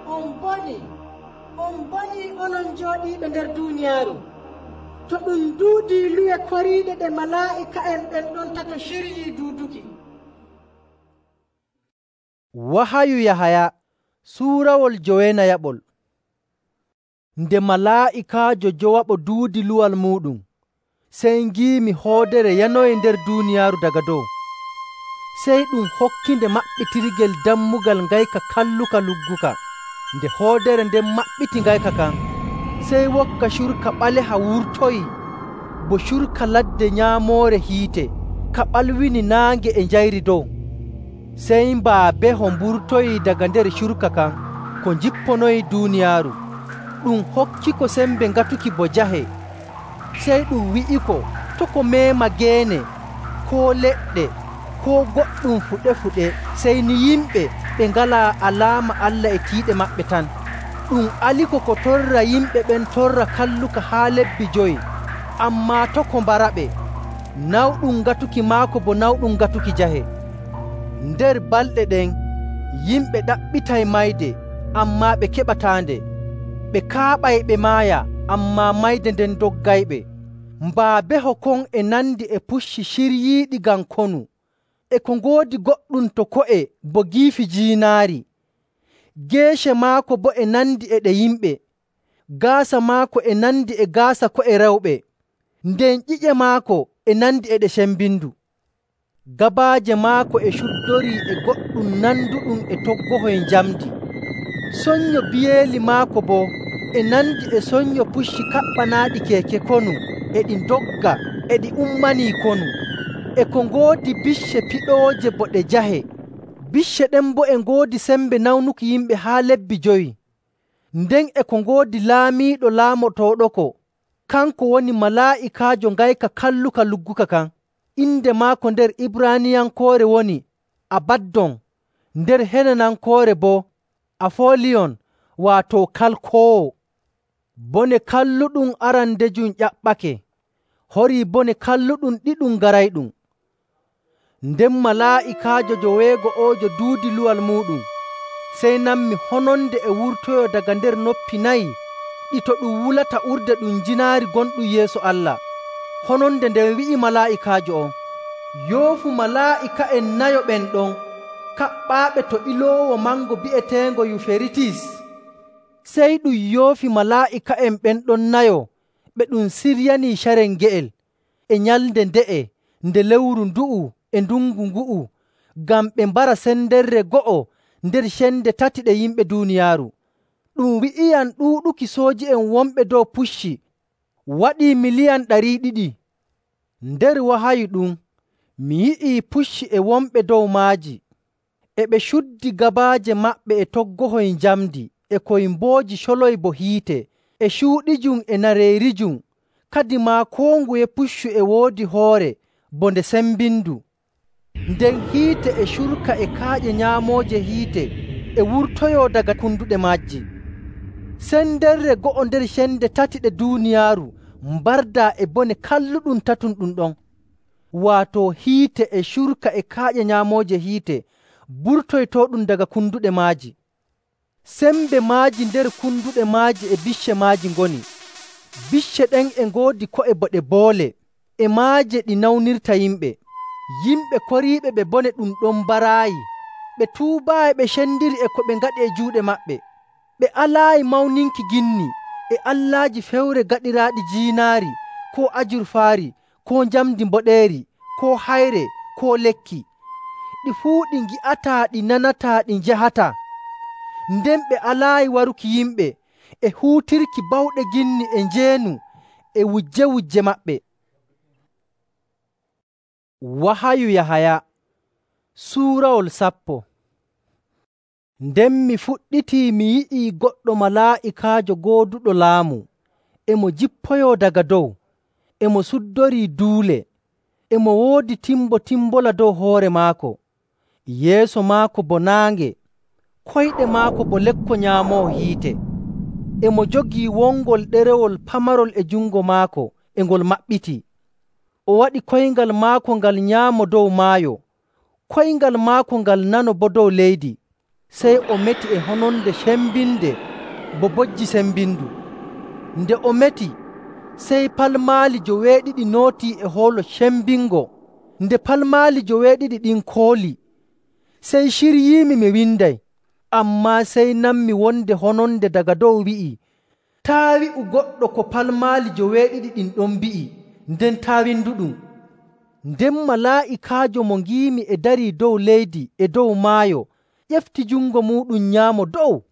on boni, on boni onon jooɗiiɓe nder duuniyaaru, to ɗum duudii luwe koriiɗe ɗe malaa'ika'en ɓen ɗon tato ciryii duuduki. Wahayu Yahaya suurawol jowenayaɓol. Nde malaa'ikaajo jowaɓo duudi luwal muuɗum, sey ngiimi hoodere yanoyi nder duuniyaaru daga dow. Sey ɗum hokkinde maɓɓitirgel dammugal ngayka kalluka lugguka. Nde hoodere nden maɓɓiti ngayka kan, sey wokka curka ɓaleha wurtoyi bo curka ladde nyaamoore hiite, ka ɓalwini naange e njayri dow. Sey mbaabeho mburtoyi daga nder curka kan ko jipponoyi duuniyaaru. Ɗum hokkiko sembe ngatuki bo jahe. Sey ɗum wi'iko to ko meema geene, koo leɗɗe, koo goɗɗum fuɗe-fuɗe, sey ni yimɓe ɓe ngalaa alaama Allah e tiiɗe maɓɓe tan. Ɗum aliko ko torra yimɓe ɓen torra kalluka haa lebbi 5, ammaa to ko mbaraɓe, nawɗum ngatuki maako bo nawɗum ngatuki jahe. Nder balɗe ɗen yimɓe ɗaɓɓitay mayde, ammaa ɓe keɓataande. Ɓe kaaɓay ɓe maaya, ammaa mayde nden doggayɓe. Mbaabeho kon e nandi e pucci ciryiiɗi ngam konu, e ko ngoodi goɗɗum to ko'e bo giifi jiinaari. Geece maako boo e nandi e ɗe yimɓe, gaasa maako e nandi e gaasa ko'e rewɓe, nden ƴiƴe maako e nandi e ɗe cembindu. Gabaaje maako e cuddorii e goɗɗum nanduɗum e toggohoy njamndi. Sonnyo biyeeli maako boo e nandi e sonnyo pucci kaɓɓanaaɗi keeke konu, e ɗi ndogga e ɗi ummanii konu. E ko ngoodi bicce piɗooje bo ɗe jahe. Bicce ɗen boo e ngoodi sembe nawnuki yimɓe haa lebbi 5. Nden e ko ngoodi laamiiɗo laamotooɗoko, kanko woni malaa'ikaajo ngayka kalluka lugguka kan. Inde maako nder Ibraaniyankoore woni Abaddon, nder Henanankoore boo Afoliyon, waato kalkoowo. Bone kalluɗum arandejum ƴaɓɓake, horii bone kalluɗum ɗiɗum garayɗum. Nden malaa'ikaajo joweego'oojo duudi luwal muuɗum, sey nanmi hononde e wurtoyo daga nder noppi 4 ɗi to ɗum wulata urde ɗum jinaari gonɗum yeeso Allah. Hononde nden wi'i malaa'ikaajo on, yoofu malaa'ika'en 4 ɓen ɗon kaɓɓaaɓe to iloowo mango bi'eteengo Yuferitis. Sey ɗum yoofi malaa'ika'en ɓen ɗon 4 ɓe ɗum siryanii carel nge'el e nyalnde nde'e nde lewru ndu'u e ndungu ngu'u, ngam ɓe mbara sendere go'o nder cende tati ɗe yimɓe duuniyaaru. Ɗum wi'iyam ɗuuɗuki sooji'en wonɓe dow pucci waɗii 200,000,000. Nder wahayu ɗum mi yi'ii pucci e wonɓe dow maaji, e ɓe cuddi gabaaje maɓɓe e toggohoy njamndi, e koymbooji coloy bo hiite, e cuuɗijum e nareerijum. Kadimaa koo nguye puccu e woodi hoore bo nde sembindu. Nden hiite e curka e kaaƴe nyaamooje hiite e wurtoyoo daga kunduɗe maaji. Sendere go'o nder cende tati ɗe duuniyaaru mbardaa e bone kalluɗum tatum ɗum ɗon. waato hiite e curka e kaaƴe nyaamooje hiite burtoytooɗum daga kunduɗe maaji. Sembe maaji nder kunduɗe maaji e bicce maaji ngoni. Bicce ɗen e ngoodi ko'e bo ɗe boole, e maaje ɗi nawnirta yimɓe. Yimɓe koriiɓe ɓe bone ɗum ɗon mbaraayi. Ɓe tuubaayi ɓe cendiri e ko ɓe ngaɗi e juuɗe maɓɓe. Ɓe alaayi mawninki ginni e allaaji fewre gaɗiraaɗi jiinaari, koo ajurfaari, koo njamndi mboɗeeri, koo hayre, koo lekki. Ɗi fuu ɗi ngi'ataa, ɗi nanataa, ɗi njahataa. Nden ɓe alaayi waruki yimɓe e huutirki bawɗe ginni e njeenu e wujje maɓɓe. Wahayu Yahaya suurawol 10. Nden mi fuɗɗitii mi yi'ii goɗɗo malaa'ikaajo gooduɗo laamu, e mo jippoyoo daga dow, e mo suddorii duule, e mo woodi timbola dow hoore maako. Yeeso maako bo naange, koyɗe maako bo lekko nyaamoowo hiite. E mo jogii wongol ɗerewol pamarol e jungo maako, e ngol maɓɓitii. O waɗi koyngal maako ngal nyaamo dow maayo, koyngal maako ngal nano bo dow leydi. Sey o meti e hononde cembinde bo bojji sembindu. Nde o meti, sey palmaali joweeɗiɗi nootii e hoolo cembingo. Nde palmaali joweeɗiɗi ɗin kooli, sey ciryiimi mi winday. Ammaa sey nanmi wonde hononde daga dow wi'i, “Taa wi'u goɗɗo ko palmaali joweeɗiɗi ɗin ɗon mbi'i, nden taa winduɗum.” Nden malaa'ikaajo mo ngiimi e darii dow leydi e dow maayo ƴefti jungo muuɗum nyaamo dow.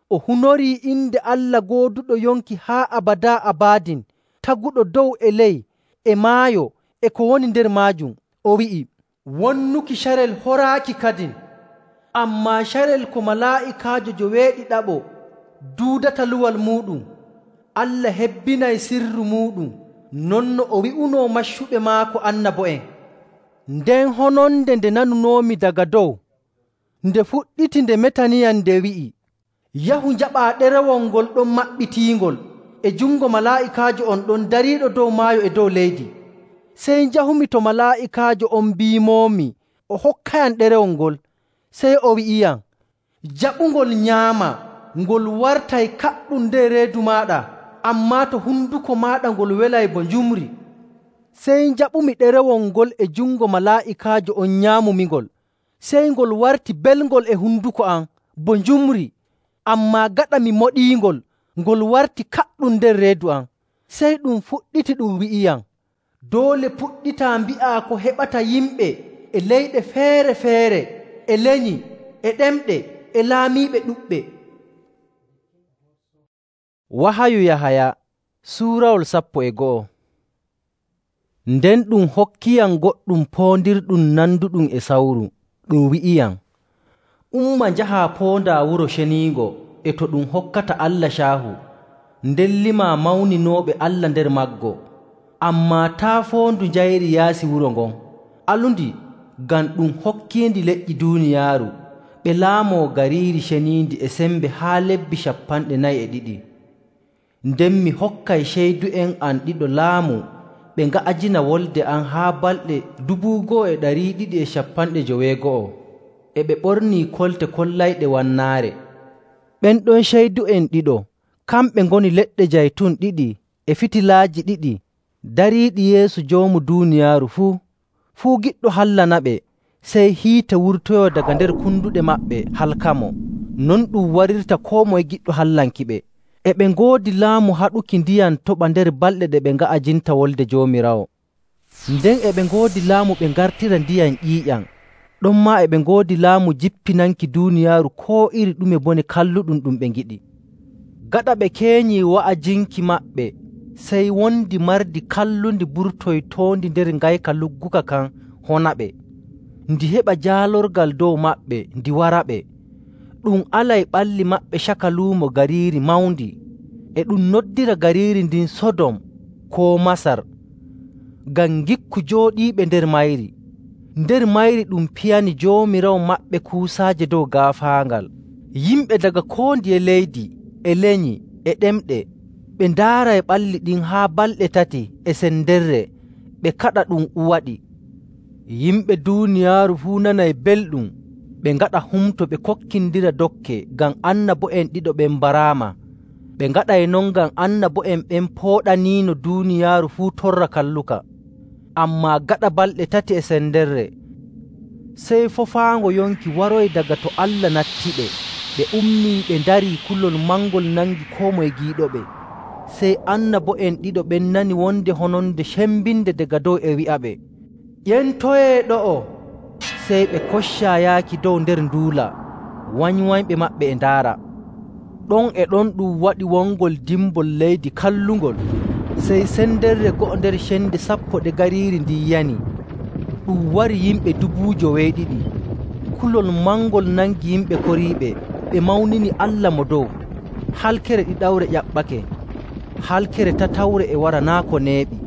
O hunorii inde Allah gooduɗo yonki haa abadaa abadin, taguɗo dow e ley e maayo e ko woni nder maajum. O wi'i, “Wonnuki carel horaaki kadin.” Ammaa carel ko malaa'ikaajo joweeɗiɗaɓo duudata luwal muuɗum, Allah hebbinay sirru muuɗum, non no o wi'unoo maccuɓe maako annabo'en. Nden hononde nde nanunoomi daga dow, nde fuɗɗiti nde metaniyam, nde wi'i, “Yahu njaɓaa ɗerewol ngol ɗon maɓɓitiingol e jungo malaa'ikaajo on ɗon dariiɗo dow maayo e dow leydi.” Sey njahumi to malaa'ikaajo on mbiimoomi o hokkayam ɗerewol ngol. Sey o wi'iyam, “Jaɓungol nyaama, ngol wartay kaɗɗum nder reedu maaɗa, ammaa to hunduko maaɗa ngol welay bo njumri.” Sey njaɓumi ɗerewol ngol e jungo malaa'ikaajo on nyaamumingol. Sey ngol warti belngol e hunduko am bo njumri, ammaa gaɗa mi moɗiingol, ngol warti kaɗɗum nder reedu am. Sey ɗum fuɗɗiti ɗum wi'iyam, “Doole puɗɗitaa mbi'aa ko heɓata yimɓe e leyɗe feere‑feere, e lenyi, e ɗemɗe, e laamiiɓe ɗuɗɓe.” Wahayu Yahaya suurawol 11. Nden ɗum hokkiyam goɗɗum poondirɗum nanduɗum e sawru. Ɗum wi'iyam, “Umma njahaa poondaa Wuro Ceniingo e to ɗum hokkata Allah caahu, nden limaa mawninooɓe Allah nder maggo. Ammaa taa foondu njayri yaasi wuro ngon. Alundi, ngam ɗum hokkiindi leƴƴi duuniyaaru, ɓe laamoo gariiri ceniindi e sembe haa lebbi 42. Nden mi hokkay ceydu'en am ɗiɗo laamu ɓe nga'ajina wolde am haa balɗe 1290, e ɓe ɓornii kolte kollayɗe wannaare. Ɓen ɗon ceydu'en ɗiɗo, kamɓe ngoni leɗɗe jaytun ɗiɗi e fitilaaji ɗiɗi dariiɗi yeeso joomu duuniyaaru fuu giɗɗo hallanaɓe, sey hiite wurtoyoo daga nder kunduɗe maɓɓe halkamo. Non ɗum warirta koo moye giɗɗo hallankiɓe. E ɓe ngoodi laamu haɗuki ndiyam toɓa nder balɗe ɗe ɓe nga'ajinta wolde Joomiraawo. Nden e ɓe ngoodi laamu ɓe ngartira ndiyam ƴiiƴam. Ɗonmaa e ɓe ngoodi laamu jippinanki duuniyaaru koo iri ɗume bone kalluɗum ɗum ɓe ngiɗi. Gaɗa ɓe keenyii wa'ajinki maɓɓe, sey wondi mardi kallundi burtoytoondi nder ngayka lugguka kan honaɓe. Ndi heɓa jaalorgal dow maɓɓe ndi waraɓe. Ɗum alay ɓalli maɓɓe caka luumo gariiri mawndi, e ɗum noddira gariiri ndin Sodom koo Masar, ngam ngikku jooɗiiɓe nder mayri. Nder mayri ɗum piyani Joomiraawo maɓɓe kuusaaje dow gaafaangal. Yimɓe daga koo ndiye leydi, e lenyi, e ɗemɗe, ɓe ndaaray ɓalli ɗin haa balɗe 3 e sendere, ɓe kaɗa ɗum uwaɗi. Yimɓe duuniyaaru fuu nanay belɗum ɓe ngaɗa humto ɓe kokkindira dokke ngam annabo'en ɗiɗo ɓen mbaraama. Ɓe ngaɗay non ngam annabo'en ɓen pooɗaniino duuniyaaru fuu torra kalluka. Ammaa gaɗa balɗe 3 e sendere, sey fofaango yonki waroyi daga to Allah nattiɓe. Ɓe ummii ɓe ndarii, kulol mangol nangi koo moye giiɗoɓe. Sey annabo'en ɗiɗo ɓen nani wonde hononde cembinde daga dow e wi'aɓe, “Ƴentoyee ɗo'o!” Sey ɓe koccaa yaaki dow nder nduula, wanywanyɓe maɓɓe e ndaara. Ɗon e ɗon ɗum waɗi wongol dimbol leydi kallungol. Sey sendere go'o nder cende 10 gariiri ndin yani. Ɗum wari yimɓe 70,000. Kulol mangol nangi yimɓe koriiɓe, ɓe mawnini Allah mo dow. Halkere ɗiɗawre ƴaɓɓake, halkere tatawre e wara naa' ko neeɓi.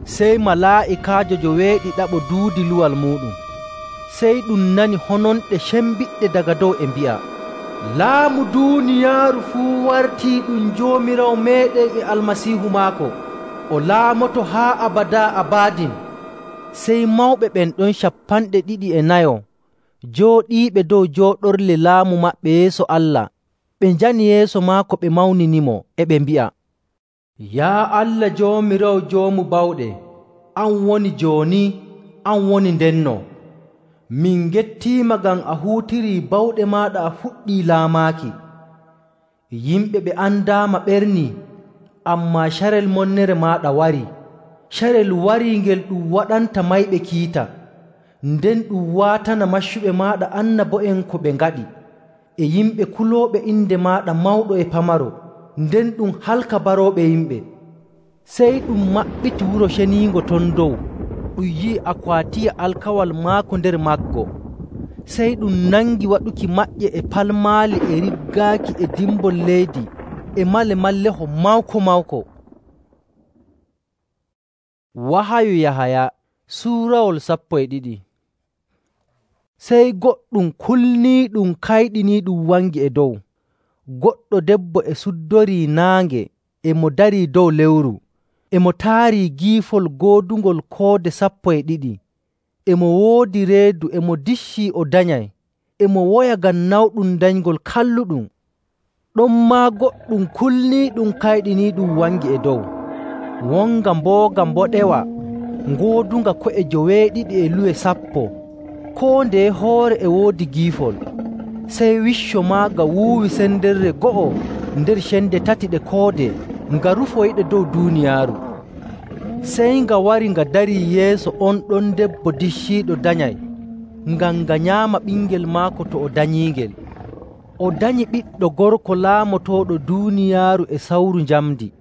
Sey malaa'ikaajo 70 duudi luwal muuɗum. Sey ɗum nani hononɗe cembiɗɗe daga dow e mbi'a, “Laamu duuniyaaru fuu wartii ɗum Joomiraawo meeɗen e Almasiihu maako. O laamoto haa abadaa abadin.” Sey mawɓe ɓen ɗon 24 jooɗiiɓe dow jooɗorle laamu maɓɓe yeeso Allah, ɓe njani yeeso maako ɓe mawninimo, e ɓe mbi'a, “Yaa Allah Joomiraawo Joomu Bawɗe, an woni jooni, an woni ndenno. Min ngettiima ngam a huutirii bawɗe maaɗa a fuɗɗii laamaaki. Yimɓe ɓe andaama ɓernii, ammaa carel monnere maaɗa warii. Carel warii ngel ɗum waɗanta mayɓe kiita, nden ɗum waatana maccuɓe maaɗa annabo'en ko ɓe ngaɗi, e yimɓe kulooɓe inde maaɗa mawɗo e pamaro, nden ɗum halka barooɓe yimɓe.” Sey ɗum maɓɓiti Wuro Ceniingo ton dow, ɗum yi'i akwaatiya alkawal maako nder maggo. Sey ɗum nangi waɗuki maƴƴe e palmaali e riggaaki e dimbol leydi e malemalleho mawko-mawko. Wahayu Yahaya suurawol 12. Sey goɗɗum kulniiɗum kayɗiniiɗum wangi e dow. Goɗɗo debbo e suddorii naange e mo darii dow lewru, e mo taarii giifol goodungol koode 12. E mo woodi reedu e mo diccii o danyay, e mo woya ngam nawɗum danyngol kalluɗum. Ɗonmaa goɗɗum kulniiɗum kayɗiniiɗum wangi e dow. Wonga mbooga mboɗewa ngoodunga ko'e 70 e luwe 10, koo ndeye hoore e woodi giifol. Sey wicco maaga wuuwi sendere go'o nder cende 3 ɗe koode nga rufoyɗe dow duuniyaaru. Sey nga wari nga darii yeeso on ɗon debbo dicciiɗo danyay, ngam nga nyaama ɓingel maako to o danyiingel. O danyi ɓiɗɗo gorko laamotooɗo duuniyaaru e sawru njamndi.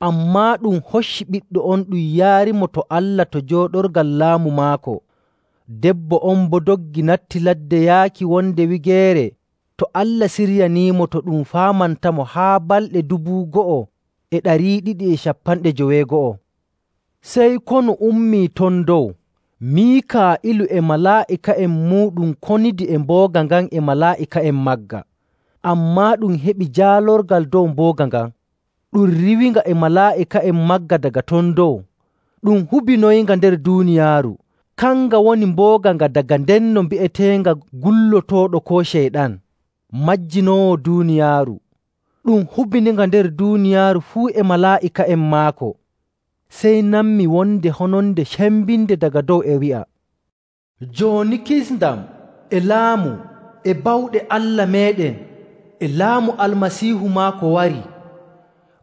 Ammaa ɗum hocci ɓiɗɗo on ɗum yaarimo to Allah to jooɗorgal laamu maako. Debbo on boo doggi natti ladde yaaki wonde wigeere to Allah siryaniimo to ɗum faamantamo haa balɗe 290. Sey konu ummii ton dow. Miikaa'ilu e malaa'ika'en muuɗum konidi e mbooga ngan e malaa'ika'en magga. Ammaa ɗum heɓi jaalorgal dow mbooga ngan. Ɗum riwinga e malaa'ika'en magga daga ton dow. Ɗum hubinoyinga nder duuniyaaru. Kanga woni mbooga nga daga ndenno mbi'eteenga gullotooɗo koo Ceyɗan, majjinoowo duuniyaaru. Ɗum hubininga nder duuniyaaru fuu e malaa'ika'en maako. Sey nammi wonde hononde cembinde daga dow e wi'a, “Jooni kisndam e laamu e bawɗe Allah meeɗen e laamu Almasiihu maako wari.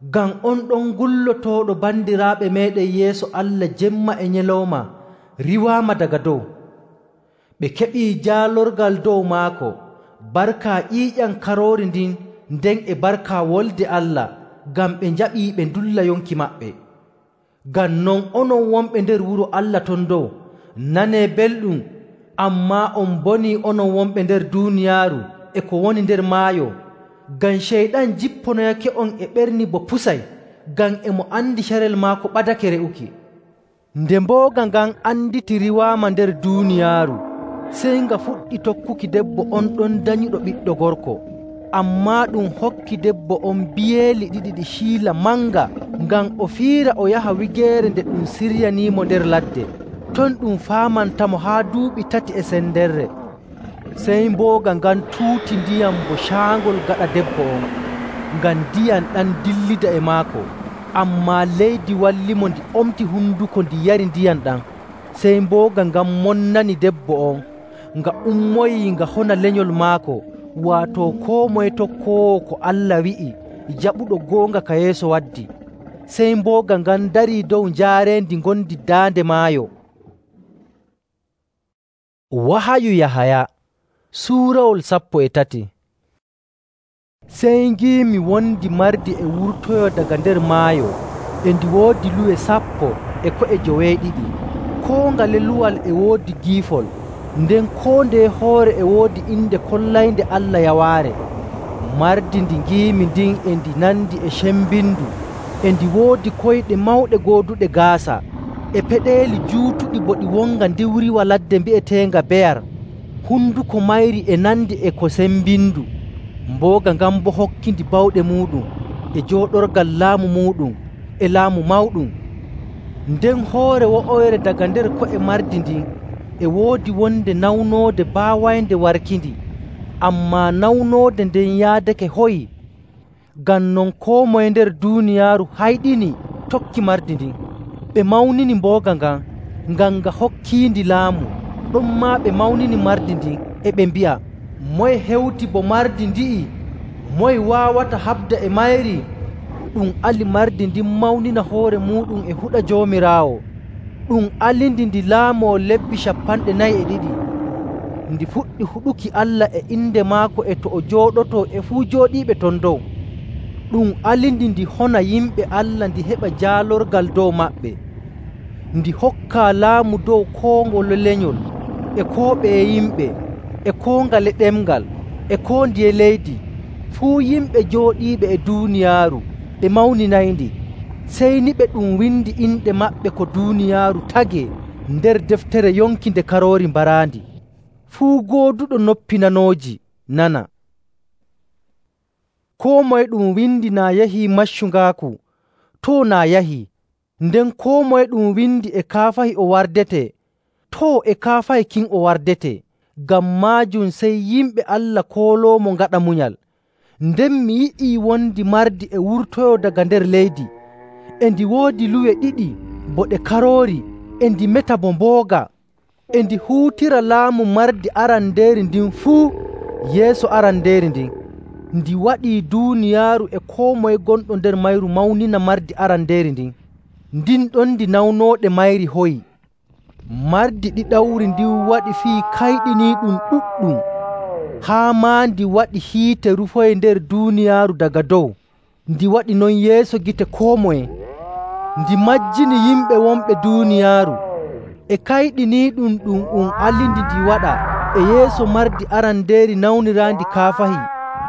Ngam on ɗon gullotooɗo bandiraaɓe meeɗen yeeso Allah jemma e nyalawma riwaama daga dow. Ɓe keɓii jaalorgal dow maako, barka ƴiiƴam Karoori ndin nden e barka Wolde Allah, ngam ɓe njaɓii ɓe ndulla yonki maɓɓe. Ngam non onon wonɓe nder wuro Allah ton dow, nanee belɗum, ammaa on bonii onon wonɓe nder duuniyaaru e ko woni nder maayo. Ngam Ceyɗan jipponoyake on e ɓerni bo pusay, ngam e mo andi carel maako ɓadake re'uki.” Nde mbooga ngan anditi riwaama nder duuniyaaru, sey nga fuɗɗi tokkuki debbo on ɗon danyuɗo ɓiɗɗo gorko. Ammaa ɗum hokki debbo on biyeeli 2 ɗi ciila manga, ngam o fiira o yaha wigeere nde ɗum siryaniimo nder ladde. ton ɗum faamantamo haa duuɓi 3 e sendere. Sey mbooga ngan tuuti ndiyam bo caangol gaɗa debbo on, ngam ndiyam ɗam dillida e maako. Ammaa leydi wallimo ndi omti hunduko ndi yari ndiyam ɗam. Sey mbooga ngan monnani debbo on, nga ummoyii nga hona lenyol maako, waato koo moye tokkoowo ko Allah wi'i jaɓuɗo goonga ka Yeesu waddi. Sey mbooga ngan darii dow njaareendi ngondi daande maayo. Wahayu Yahaya suurawol 13. Sey ngiimi wondi mardi e wurtoyo daga nder maayo, e ndi woodi luwe 10 e ko'e 9. Koo ngale luwal e woodi giifol, nden koo ndeye hoore e woodi inde kollaynde Allah yawaare. Mardi ndi ngiimi ndin e ndi nandi e cembindu, e ndi woodi koyɗe mawɗe gooduɗe gaasa, e peɗeeli juutuɗi bo ɗi wonga ndiwriwa ladde mbi'eteenga beyar. Hunduko mayri e nandi e ko sembindu. Mbooga ngan bo hokkindi bawɗe muuɗum e jooɗorgal laamu muuɗum e laamu mawɗum. Nden hoore wo'oyre daga nder ko'e mardi ndin e woodi wonde nawnoode baawaynde warkindi, ammaa nawnoode nden yaadake hoyi. Ngam non koo moye nder duuniyaaru hayɗini tokki mardi ndin. Ɓe mawnini mbooga ngan, ngam nga hokkiindi laamu. Ɗonmaa ɓe mawnini mardi ndin e ɓe mbi'a, moye hewti bo mardi ndi'i? Moye waawata haɓda e mayri? Ɗum ali mardi ndin mawnina hoore muuɗum e huɗa Joomiraawo. Ɗum alindi ndi laamoo lebbi 42. Ndi fuɗɗi huɗuki Allah e inde maako e to o jooɗotoo e fuu jooɗiiɓe ton dow. Ɗum alindi ndi hona yimɓe Allah ndi heɓa jaalorgal dow maɓɓe. Ndi hokkaa laamu dow koo ngole lenyol, e koo ɓeye yimɓe, e koo ngale ɗemngal, e koo ndiye leydi. Fuu yimɓe jooɗiiɓe e duuniyaaru ɓe mawninayndi. Sey ni ɓe ɗum windi inɗe maɓɓe ko duuniyaaru tagee nder deftere yonki nde Karoori mbaraandi. Fuu gooduɗo noppi nanooji nana. Koo moye ɗum windi naa yahii maccungaaku, too naa yahii. Nden koo moye ɗum windi e kaafahi o wardete, too e kaafahi kin o wardete. Ngam maajum sey yimɓe Allah kooloomo ngaɗa munyal. Nden mi yi'ii wondi mardi e wurtoyo daga nder leydi, e ndi woodi luwe 2 bo ɗe karoori, e ndi meta bo mbooga. E ndi huutira laamu mardi arandeeri ndin fuu yeeso arandeeri ndin. Ndi waɗii duuniyaaru e koo moye gonɗo nder mayru mawnina mardi arandeeri ndin. Ndin ɗon ndi nawnooɗe mayri hoyi. Mardi ɗiɗawri ndin waɗi fii kayɗiniiɗum ɗuɗɗum, haa maa ndi waɗi hiite rufoyi nder duuniyaaru daga dow. Ndi waɗi non yeeso gite koo moye. Ndi majjini yimɓe wonɓe duuniyaaru. E kayɗiniiɗum ɗum alindi ndi waɗa e yeeso mardi arandeeri nawniraandi kaafahi,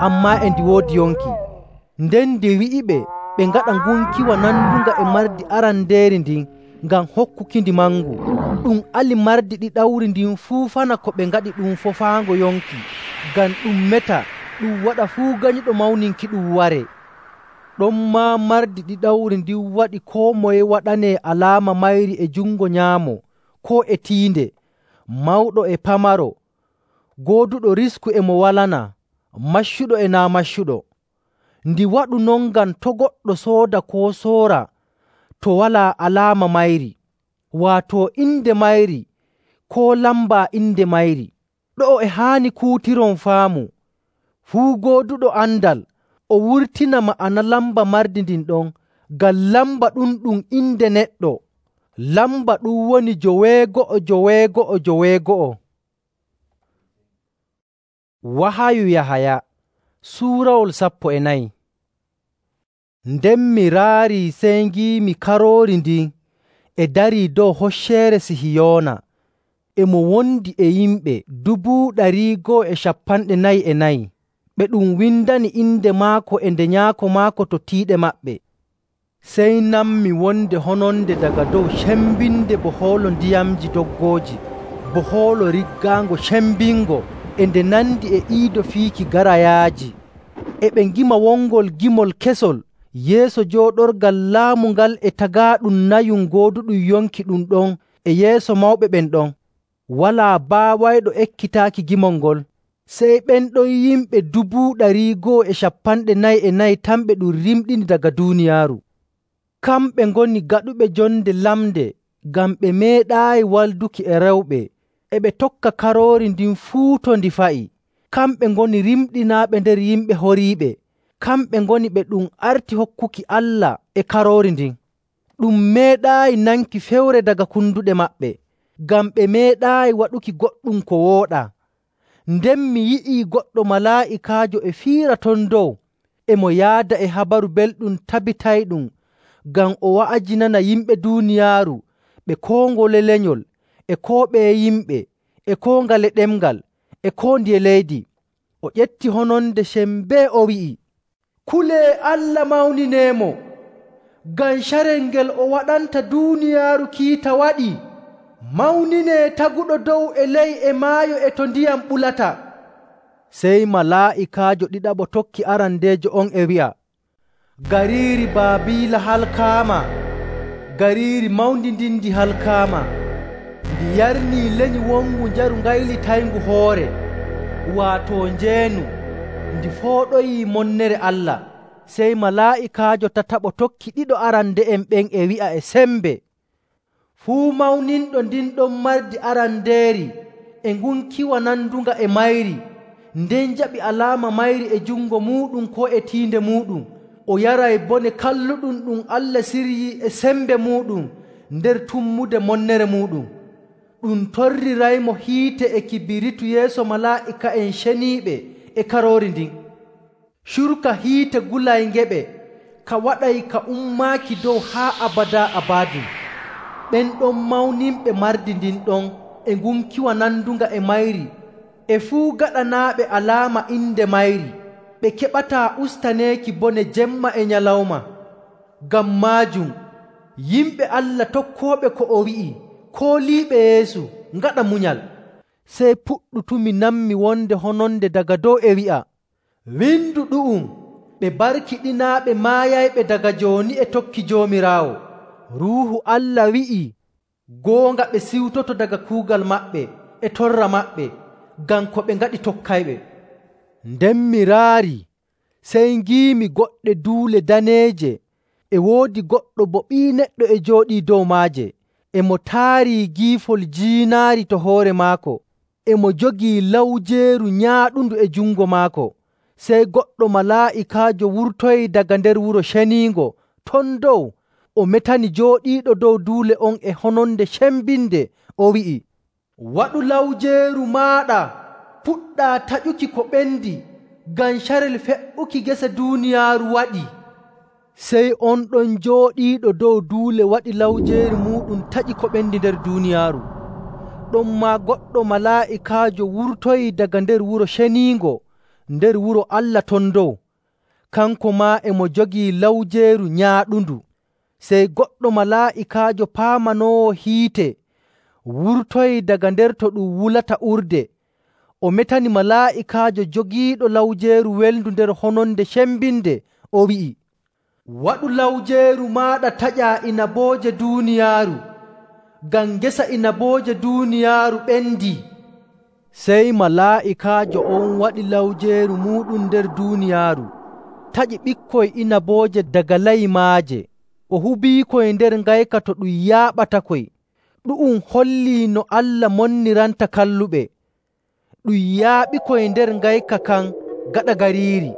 ammaa e ndi woodi yonki. Nden ndi wi'iɓe ɓe ngaɗa ngunkiwa nandunga e mardi arandeeri ndin ngam hokkukindi mangu. Ɗum ali mardi ɗiɗawri ndin fuufana ko ɓe ngaɗi ɗum fofaango yonki, ngam ɗum meta ɗum waɗa fuu ganyuɗo mawninki ɗum ware. Ɗonmaa mardi ɗiɗawri ndin waɗi koo moye waɗanee alaama mayri e jungo nyaamo koo e tiinde, mawɗo e pamaro, gooduɗo risku e mo walana, maccuɗo e naa maccuɗo. Ndi waɗu non ngam to' goɗɗo sooda koo soora to walaa alaama mayri, waato inde mayri koo lamba inde mayri. Ɗo'o e haani kuutiron faamu. Fuu gooduɗo andal o wurtina ma'ana lamba mardi ndin ɗon, ngam lamba ɗum ɗum inde neɗɗo. Lamba ɗum woni 99999. Wahayu Yahaya suurawol 14. Nden mi raarii sey ngiimi Karoori ndin e darii dow Hocceere Sihiyoona, e mo wondi e yimɓe 144,000 ɓe ɗum windani inde maako e nde nyaako maako to tiiɗe maɓɓe. Sey nanmi wonde hononde daga dow cembinde bo hoolo ndiyamji doggooji, bo hoolo riggaango cembingo, e nde nandi e iido fiiki garayaaji. E ɓe ngima wongol gimol kesol yeeso jooɗorgal laamu ngal e tagaaɗum nayum gooduɗum yonki ɗum ɗon e yeeso mawɓe ɓen ɗon. Walaa baawayɗo ekkitaaki gimol ngol, sey ɓen ɗon yimɓe 244,000 tan ɓe ɗum rimɗini daga duuniyaaru. Kamɓe ngoni gaɗuɓe jonde lamnde ngam ɓe meeɗaayi walduki e rewɓe, e ɓe tokka Karoori ndin fuu to ndi fa'i. Kamɓe ngoni rimɗinaaɓe nder yimɓe horiiɓe. Kamɓe ngoni ɓe ɗum arti hokkuki Allah e Karoori ndin. Ɗum meeɗaayi nanki fewre daga kunduɗe maɓɓe, ngam ɓe meeɗaayi waɗuki goɗɗum ko wooɗaa. Nden mi yi'ii goɗɗo malaa'ikaajo e fiira ton dow, e mo yaada e habaru belɗum tabitayɗum ngam o wa'ajinana yimɓe duuniyaaru ɓe koo ngole lenyol, e koo ɓeye yimɓe, e koo ngale ɗemngal, e koo ndiye leydi. O ƴetti hononde sembee o wi'i, “Kulee Allah mawnineemo, ngam carel ngel o waɗanta duuniyaaru kiita waɗii. Mawninee taguɗo dow e ley e maayo e to ndiyam ɓulata.” Sey malaa'ikaajo ɗiɗaɓo tokki arandeejo on e wi'a, “Gariiri Baabiila halkaama! Gariiri mawndi ndin ndi halkaama! Ndi yarnii lenyi wongu njaru ngaylitayngu hoore, waato njeenu, ndi fooɗoyii monnere Allah.” Sey malaa'ikaajo tataɓo tokki ɗiɗo arande'en ɓen e wi'a e sembe, “Fuu mawninɗo ndin ɗon mardi arandeeri e ngunkiwa nandunga e mayri, nden jaɓi alaama mayri e jungo muuɗum koo e tiinde muuɗum. O yaray bone kalluɗum ɗum Allah siryii e sembe muuɗum nder tummude monnere muuɗum. Ɗum torriraymo hiite e kibiritu yeeso malaa'ika'en ceniiɓe e Karoori ndin. Curka hiite gulayngeɓe ka waɗay ka ummaaki dow haa abadaa abadin. Ɓen ɗon mawninɓe mardi ndin ɗon e ngunkiwa nandunga e mayri, e fuu gaɗanaaɓe alaama inde mayri, ɓe keɓataa ustaneeki bone jemma e nyalawma. Ngam maajum, yimɓe Allah tokkooɓe ko o wi'i, kooliiɓe Yeesu, ngaɗa munyal.” Sey puɗɗutumi nanmi wonde hononde daga dow e wi'a, “Windu ɗu'um, ɓe barkiɗinaaɓe maayayɓe daga jooni e tokki Joomiraawo.” Ruuhu Allah wi'i, “Goonga ɓe siwtoto daga kuugal maɓɓe e torra maɓɓe, ngam ko ɓe ngaɗi tokkayɓe.” Nden mi raari, sey ngiimi goɗɗe duule daneeje, e woodi goɗɗo bo Ɓii Neɗɗo e jooɗii dow maaje, e mo taarii giifol jiinaari to hoore maako, e mo jogii lawjeeru nyaaɗundu e jungo maako. Sey goɗɗo malaa'ikaajo wurtoyii daga nder wuro ceniingo ton dow, o metani jooɗiiɗo dow duule on e hononde cembinde, o wi'i, “Waɗu lawjeeru maaɗa, puɗɗaa taƴuki ko ɓendi, ngam carel fe'uki gese duuniyaaru waɗii.” Sey on ɗon jooɗiiɗo dow duule waɗi lawjeeru muuɗum taƴi ko ɓendi nder duuniyaaru. Ɗonmaa goɗɗo malaa'ikaajo wurtoyii daga nder wuro ceniingo, nder wuro Allah ton dow, kanko maa e mo jogii lawjeeru nyaaɗundu. Sey goɗɗo malaa'ikaajo paamanoowo hiite wurtoyii daga nder to ɗum wulata urde, o metani malaa'ikaajo jogiiɗo lawjeeru welndu nder hononde cembinde, o wi'i, “Waɗu lawjeeru maaɗa taƴaa inabooje duuniyaaru, ngam ngesa inabooje duuniyaaru ɓendii.” Sey malaa'ikaajo on waɗi lawjeeru muuɗum nder duuniyaaru, taƴi ɓikkoy inabooje daga laymaaje, o hubiikoy nder ngayka to ɗum yaaɓatakoy. Ɗu'um hollii no Allah monniranta kalluɓe. Ɗum yaaɓikoy nder ngayka kan gaɗa gariiri.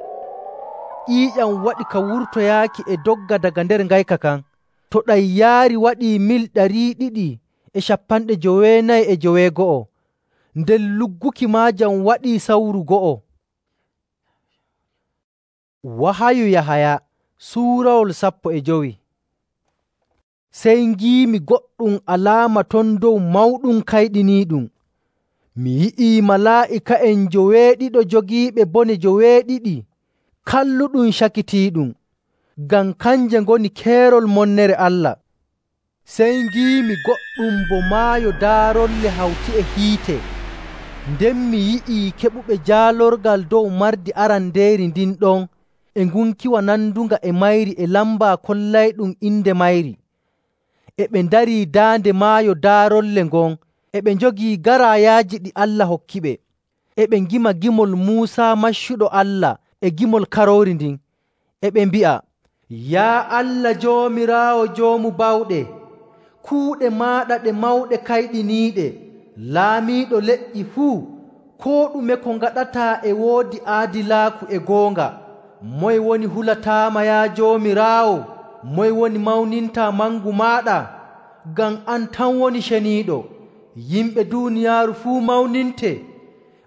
Ƴiiƴam waɗi ka wurtoyaaki e dogga daga nder ngayka kan. To ɗam yaari waɗii mil 299. Nden lugguki maajam waɗii sawru go'o. Wahayu Yahaya suurawol 15. Sey ngiimi goɗɗum alaama ton dow mawɗum kayɗiniiɗum. Mi yi'ii malaa'ika'en 70 jogiiɓe bone 70, kalluɗum cakitiiɗum, ngam kanje ngoni keerol monnere Allah. Sey ngiimi goɗɗum bo maayo daarolle hawti e hiite. Nden mi yi'ii keɓuɓe jaalorgal dow mardi arandeeri ndin ɗon e ngunkiwa nandunga e mayri e lamba kollayɗum inde mayri. e ɓe ndarii daande maayo daarolle ngon, e ɓe njogii garaayaaji ɗi Allah hokkiɓe. E ɓe ngima gimol Muusaa maccuɗo Allah e gimol Karoori ndin, e ɓe mbi'a, “Yaa Allah Joomiraawo Joomu Bawɗe, kuuɗe maaɗa ɗe mawɗe kayɗiniiɗe, laamiiɗo leƴƴi fuu, koo ɗume ko ngaɗataa e woodi aadilaaku e goonga. Moye woni hulataama, yaa Joomiraawo? Moye woni mawnintaa mangu maaɗa? Ngam an tan woni ceniiɗo. Yimɓe duuniyaaru fuu mawninte,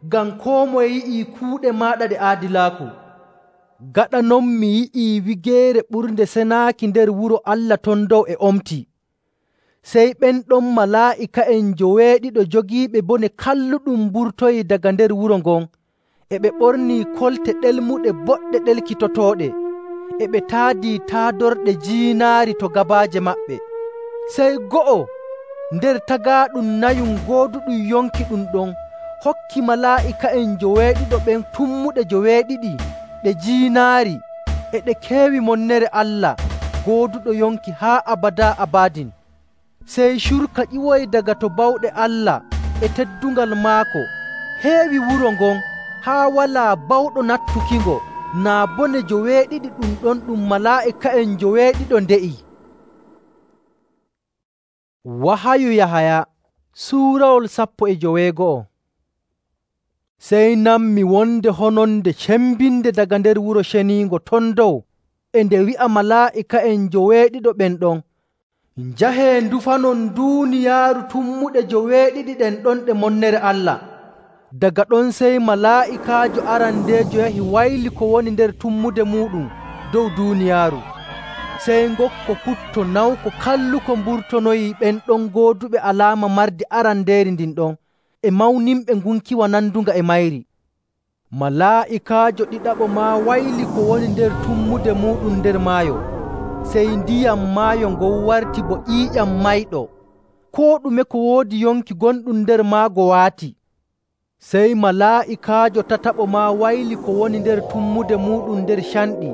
ngam koo moye yi'ii kuuɗe maaɗa ɗe aadilaaku.” Gaɗa non mi yi'ii wigeere ɓurnde senaaki nder wuro Allah ton dow e omti. Sey ɓen ɗon malaa'ika'en joweeɗiɗo jogiiɓe bone kalluɗum mburtoyii daga nder wuro ngon, e ɓe ɓornii kolte ɗelmuɗe boɗɗe ɗelkitotooɗe, e ɓe taadii taadorɗe jiinaari to gabaaje maɓɓe. Sey go'o nder tagaaɗum nayum gooduɗum yonki ɗum ɗon hokki malaa'ika'en joweeɗiɗo ɓen tummuɗe joweeɗiɗi ɗe jiinaari, e ɗe keewi monnere Allah gooduɗo yonki haa abadaa abadin. Sey curka ƴiwoyi daga to bawɗe Allah e teddungal maako heewi wuro ngon haa walaa bawɗo nattukingo naa bone joweeɗiɗi ɗum ɗon ɗum malaa'ika'en joweeɗiɗo nde'i. Wahayu Yahaya suurawol 15. Sey nanmi wonde hononde cembinde daga nder wuro ceniingo ton dow, e nde wi'a malaa'ika'en joweeɗiɗo ɓen ɗon, “Njahee ndufanon duuniyaaru tummuɗe joweeɗiɗi ɗen ɗon ɗe monnere Allah.” Daga ɗon sey malaa'ikaajo arandeejo yahi wayli ko woni nder tummude muuɗum dow duuniyaaru. Sey ngokko putto nawko kalluko mburtonoyii ɓen ɗon gooduɓe alaama mardi arandeeri ndin ɗon, e mawninɓe ngunkiwa nandunga e mayri. Malaa'ikaajo ɗiɗaɓo maa wayli ko woni nder tummude muuɗum nder maayo. Sey ndiyam maayo ngon warti bo ƴiiƴam mayɗo, koo ɗume ko woodi yonki gonɗum nder maago waati. Sey malaa'ikaajo tataɓo maa wayli ko woni nder tummude muuɗum nder canɗi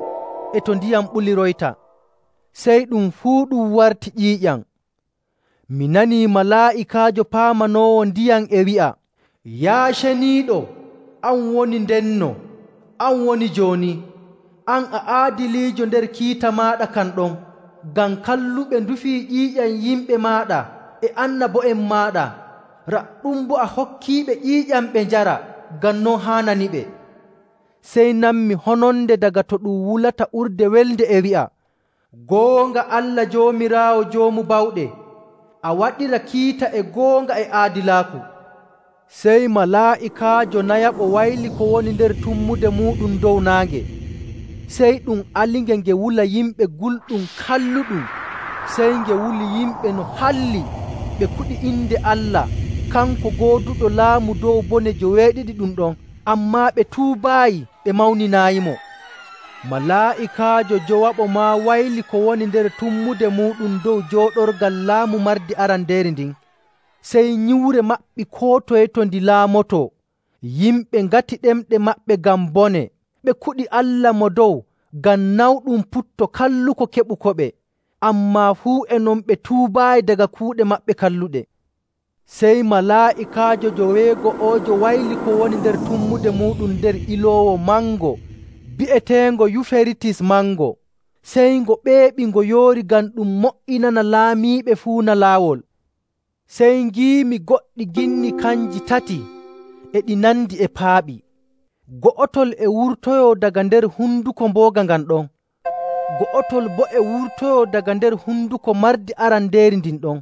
e to ndiyam ɓuliroyta. Sey ɗum fuu ɗum warti ƴiiƴam. Mi nanii malaa'ikaajo paamanoowo ndiyam e wi'a, “Yaa ceniiɗo, an woni ndenno, an woni jooni. An a aadiliijo nder kiita maaɗa kan ɗon, ngam kalluɓe ndufii ƴiiƴam yimɓe maaɗa e annabo'en maaɗa. Raɗɗum boo a hokkiiɓe ƴiiƴam ɓe njara, ngam non haananiɓe.” Sey nanmi hononde daga to ɗum wulata urde welde e wi'a, “Goonga Allah Joomiraawo Joomu Bawɗe, a waɗira kiita e goonga e aadilaaku.” Sey malaa'ikaajo nayaɓo wayli ko woni nder tummude muuɗum dow naange. Sey ɗum alinge nge wula yimɓe gulɗum kalluɗum. Sey nge wuli yimɓe no halli ɓe kuɗi inde Allah, kanko gooduɗo laamu dow bone joweeɗiɗi ɗum ɗon, ammaa ɓe tuubaayi ɓe mawninaayimo. Malaa'ikaajo jowaɓo maa wayli ko woni nder tummude muuɗum dow jooɗorgal laamu mardi arandeeri ndin. Sey nyiwre maɓɓi koo toye to ndi laamoto. Yimɓe ngati ɗemɗe maɓɓe ngam bone. Ɓe kuɗi Allah mo dow ngam nawɗum putto kalluko keɓukoɓe, ammaa fuu e non ɓe tuubaayi daga kuuɗe maɓɓe kalluɗe. Sey malaa'ikaajo joweego'oojo wayli ko woni nder tummude muuɗum nder iloowo mango bi'eteengo Yuferitis mango. Sey ngo ɓeeɓi ngo yoori ngam ɗum mo''inana laamiiɓe fuuna laawol. Sey ngiimi goɗɗi ginni kanji tati, e ɗi nandi e paaɓi. Go'otol e wurtoyoo daga nder hunduko mbooga ngan ɗon, go'otol boo e wurtoyoo daga nder hunduko mardi arandeeri ndin ɗon.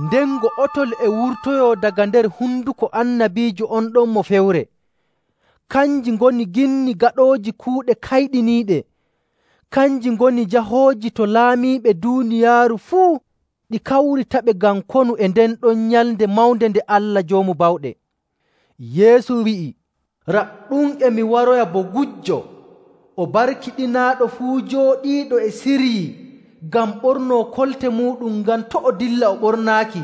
Nden go'otol e wurtoyoo daga nder hunduko annabiijo on ɗon mo fewre. Kanji ngoni ginni gaɗooji kuuɗe kayɗiniiɗe. Kanji ngoni jahooji to laamiiɓe duuniyaaru fuu, ɗi kawritaɓe ngam konu e nden ɗon nyalnde mawnde nde Allah Joomu Bawɗe. Yeesu wi'i, “Raɗɗum e mi waroya bo gujjo. O barkiɗinaaɗo fuu jooɗiiɗo e siryii ngam ɓornoo kolte muuɗum, ngam to' o dilla o ɓornaaki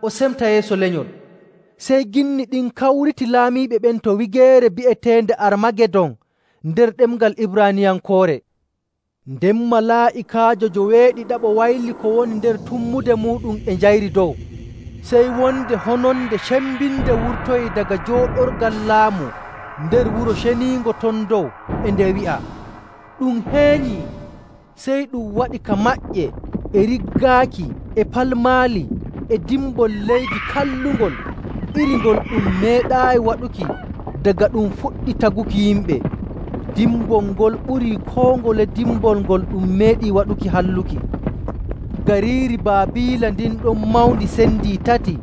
o semta yeeso lenyol.” Sey ginni ɗin kawriti laamiiɓe ɓen to wigeere bi'eteende Armagedon nder ɗemngal Ibraaniyankoore. Nden malaa'ikaajo joweeɗiɗaɓo wayli ko woni nder tummude muuɗum e njayri dow. Sey wonde hononde cembinde wurtoyii daga jooɗorgal laamu nder Wuro Ceniingo ton dow, e nde wi'a, “Ɗum heenyii!” Sey ɗum waɗi ka maƴƴe, e riggaaki, e palmaali, e dimbol leydi kallungol iri ngol ɗum meeɗaayi waɗuki daga ɗum fuɗɗi taguki yimɓe. Dimbol ngol ɓurii koo ngole dimbol ngol ɗum meeɗii waɗuki halluki. Gariiri Baabiila ndin ɗon mawndi sendii tati,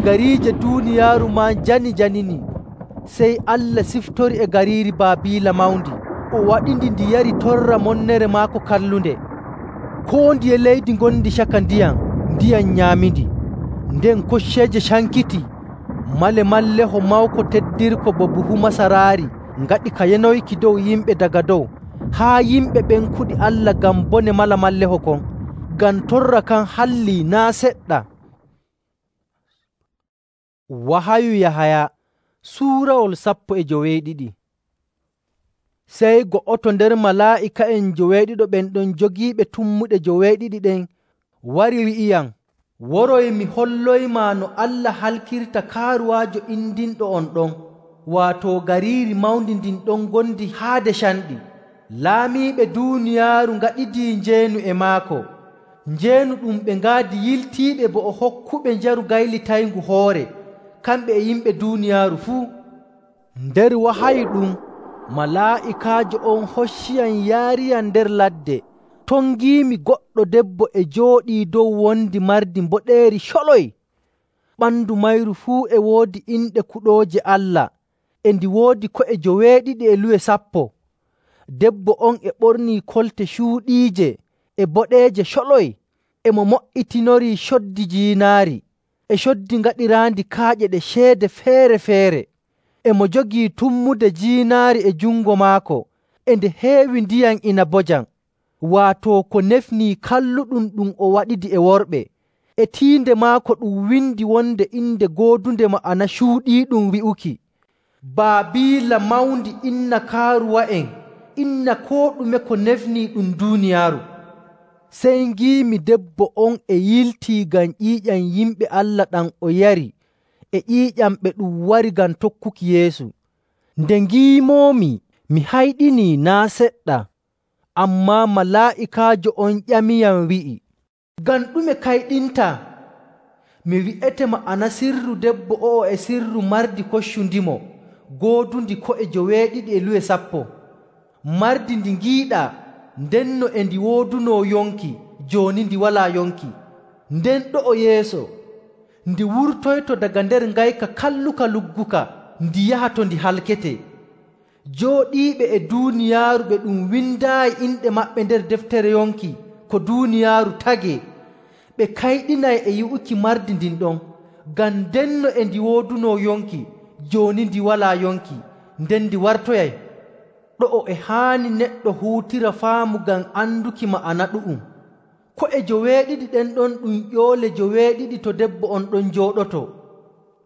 gariije duuniyaaru maa njani-janini. Sey Allah siftori e gariiri Baabiila mawndi, o waɗindi ndi yari torra monnere maako kallunde. Koo ndiye leydi ngondi caka ndiyam nyaamindi. Nden kocceeje cankiti, male-malleho mawko teddirko bo buhu masaraari ngaɗi ka yanoyki dow yimɓe daga dow, haa yimɓe ɓen kuɗi Allah ngam bone mala-malleho kon. Ngam torra kan hallii naa' seɗɗa. Wahayu Yahaya suurawol 12. Sey go'oto nder malaa'ika'en joweeɗiɗo ɓen ɗon jogiiɓe tummuɗe joweeɗiɗi ɗen wari wi'iyam, “Woroy mi holloymaa no Allah halkirta kaaruwaajo indinɗo on ɗon, waato gariiri mawndi ndin ɗon ngondi haade canɗi. Laamiiɓe duuniyaaru ngaɗidii njeenu e maako, njeenu ɗum ɓe ngaadi yiltiiɓe bo o hokkuɓe njaru gaylitayngu hoore, kamɓe e yimɓe duuniyaaru fuu.” Nder wahayu ɗum, malaa'ikaajo on hocciyam yaariyam nder ladde. Ton ngiimi goɗɗo debbo e jooɗii dow wondi mardi mboɗeeri coloy. Ɓandu mayru fuu e woodi inɗe kuɗooje Allah, e ndi woodi ko'e joweeɗiɗi e luwe 10. Debbo on e ɓornii kolte cuuɗiije e boɗeeje coloy, e mo mo''itinorii coddi jiinaari, e coddi ngaɗiraandi kaaƴe ɗe ceede feere‑feere. E mo jogii tummude jiinaari e jungo maako, e nde heewi ndiyam inabojam, waato ko nefnii kalluɗum ɗum o waɗidi e worɓe. E tiinde maako ɗum windi wonde inde goodunde ma'ana cuuɗiiɗum wi'uki, “Baabiila mawndi, inna kaaruwa'en, inna koo ɗume ko nefnii ɗum duuniyaaru.” Sey ngiimi debbo on e yiltii ngam ƴiiƴam yimɓe Allah ɗam o yari, e ƴiiƴam ɓe ɗum wari ngam tokkuki Yeesu. Nde ngiimoomi, mi hayɗinii naa' seɗɗa. Ammaa malaa'ikaajo on ƴamiyam wi'i, “Ngam ɗume kayɗintaa? Mi wi'ete ma'ana sirru debbo o'o e sirru mardi koccundimo, goodundi ko'e joweeɗiɗi e luwe 10. Mardi ndi ngiiɗaa, ndenno e ndi woodunoo yonki, jooni ndi walaa yonki. Nden ɗo'o yeeso, ndi wurtoyto daga nder ngayka kalluka lugguka, ndi yaha to ndi halkete. Jooɗiiɓe e duuniyaaru ɓe ɗum windaayi inɗe maɓɓe nder deftere yonki ko duuniyaaru tagee, ɓe kayɗinay e yi'uki mardi ndin ɗon, ngam ndenno e ndi woodunoo yonki, jooni ndi walaa yonki, nden ndi wartoyay. Ɗo'o e haani neɗɗo huutira faamu ngam anduki ma'ana ɗu'um. Ko'e joweeɗiɗi ɗen ɗon ɗum ƴoole joweeɗiɗi to debbo on ɗon jooɗoto.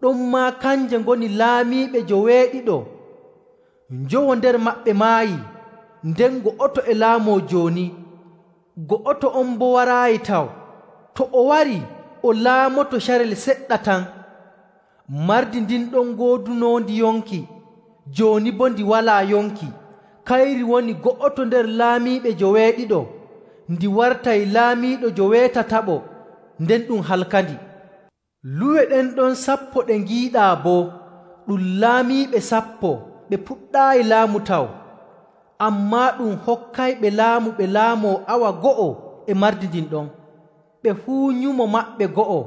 Ɗonmaa kanje ngoni laamiiɓe joweeɗiɗo. Njowo nder maɓɓe maayii, nden go'oto e laamoo jooni. Go'oto on boo waraayi taw. To o warii, o laamoto carel seɗɗa tan. Mardi ndin ɗon goodunoondi yonki, jooni boo ndi walaa yonki. Kayri woni go'oto nder laamiiɓe joweeɗiɗo, ndi wartay laamiiɗo joweetataɓo, nden ɗum halkandi. Luwe ɗen ɗon 10 ɗe ngiiɗaa boo, ɗum laamiiɓe 10 ɓe puɗɗaayi laamu taw. Ammaa ɗum hokkayɓe laamu ɓe laamoo awa go'o e mardi ndin ɗon. Ɓe fuu nyumo maɓɓe go'o,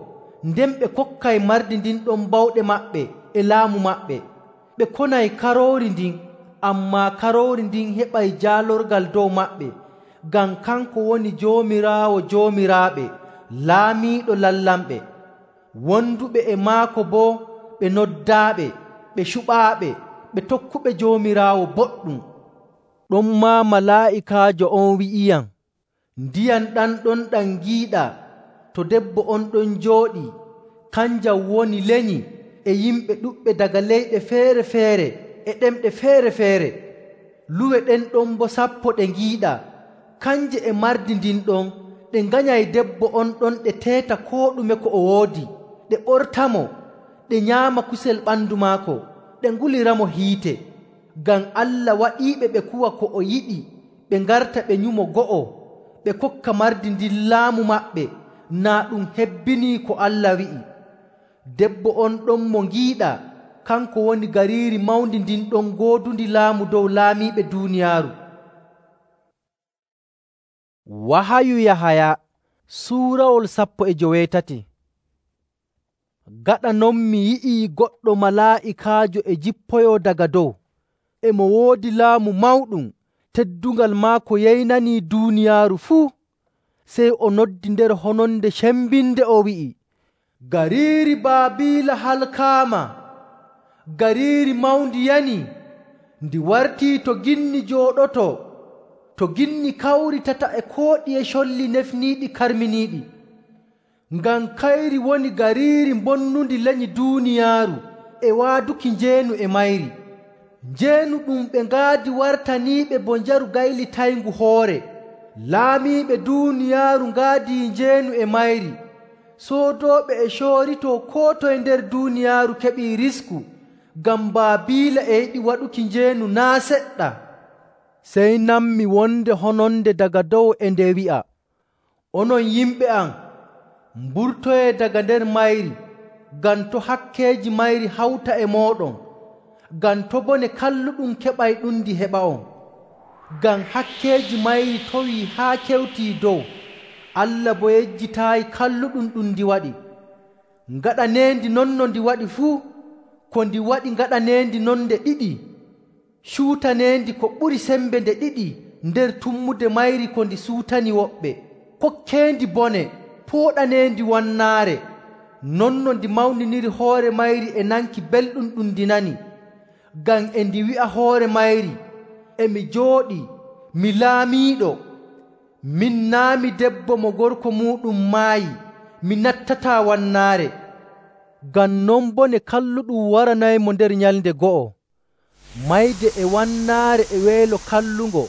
nden ɓe kokkay mardi ndin ɗon bawɗe maɓɓe e laamu maɓɓe. Ɓe konay Karoori ndin, ammaa Karoori ndin heɓay jaalorgal dow maɓɓe, ngam kanko woni Joomiraawo joomiraaɓe, Laamiiɗo lallamɓe. Wonduɓe e maako boo ɓe noddaaɓe, ɓe cuɓaaɓe, ɓe tokkuɓe Joomiraawo boɗɗum. Ɗonmaa malaa'ikaajo on wi'iyam, “Ndiyam ɗam ɗon ɗam ngiiɗaa, to debbo on ɗon jooɗii, kanjam woni lenyi e yimɓe ɗuɗɓe daga leyɗe feere‑feere e ɗemɗe feere‑feere. Luwe ɗen ɗon boo 10 ɗe ngiiɗaa, kanje e mardi ndin ɗon ɗe nganyay debbo on ɗon ɗe teeta koo ɗume ko o woodi, ɗe ɓortamo, ɗe nyaama kusel ɓandu maako, ɗe nguliramo hiite. Ngam Allah waɗiiɓe ɓe kuwa ko o yiɗi, ɓe ngarta ɓe nyumo go'o, ɓe kokka mardi ndin laamu maɓɓe, naa ɗum hebbinii ko Allah wi'i. Debbo on ɗon mo ngiiɗaa, kanko woni gariiri mawndi ndin ɗon goodundi laamu dow laamiiɓe duuniyaaru. Wahayu Yahaya suurawol 17. Gaɗa non mi yi'ii goɗɗo malaa'ikaajo e jippoyoo daga dow. E mo woodi laamu mawɗum, teddungal maako yeynanii duuniyaaru fuu. Sey o noddi nder hononde cembinde o wi'i, “Gariiri Baabiila halkaama! Gariiri mawndi yani! Ndi wartii to ginni jooɗotoo, to ginni kawritata e kooɗiye colli nefniiɗi karminiiɗi. Ngam kayri woni gariiri bonnundi lenyi duuniyaaru e waaduki njeenu e mayri. Njeenu ɗum ɓe ngaadi wartaniiɓe bo njaru gaylitayngu hoore. Laamiiɓe duuniyaaru ngaadii njeenu e mayri. Soodooɓe e cooritoo koo toye nder duuniyaaru keɓii risku, ngam Baabiila e yiɗi waɗuki njeenu naa' seɗɗa.” Sey nanmi wonde hononde daga dow e nde wi'a, “Onon yimɓe am, mburtoyee daga nder mayri, ngam to' hakkeeji mayri hawta e mooɗon, ngam to' bone kalluɗum keɓay ɗundi heɓa'on. Ngam hakkeeji mayri towii haa kewtii dow, Allah boo yejjitaayi kalluɗum ɗum ndi waɗi. Ngaɗaneendi non no ndi waɗi fuu, ko ndi waɗi ngaɗaneendi non nde ɗiɗi. Cuutaneendi ko ɓuri sembe nde ɗiɗi nder tummude mayri ko ndi suutani woɓɓe. Kokkeendi bone, pooɗaneendi wannaare. Non no ndi mawniniri hoore mayri e nanki belɗum ɗum ndi nani. Ngam e ndi wi'a hoore mayri, ‘E mi jooɗii, mi laamiiɗo. Min naa' mi debbo mo gorko muuɗum maayi, mi nattataa wannaare.’ Ngam non bone kalluɗum waranaymo nder nyalnde go'o, mayde e wannaare e weelo kallungo,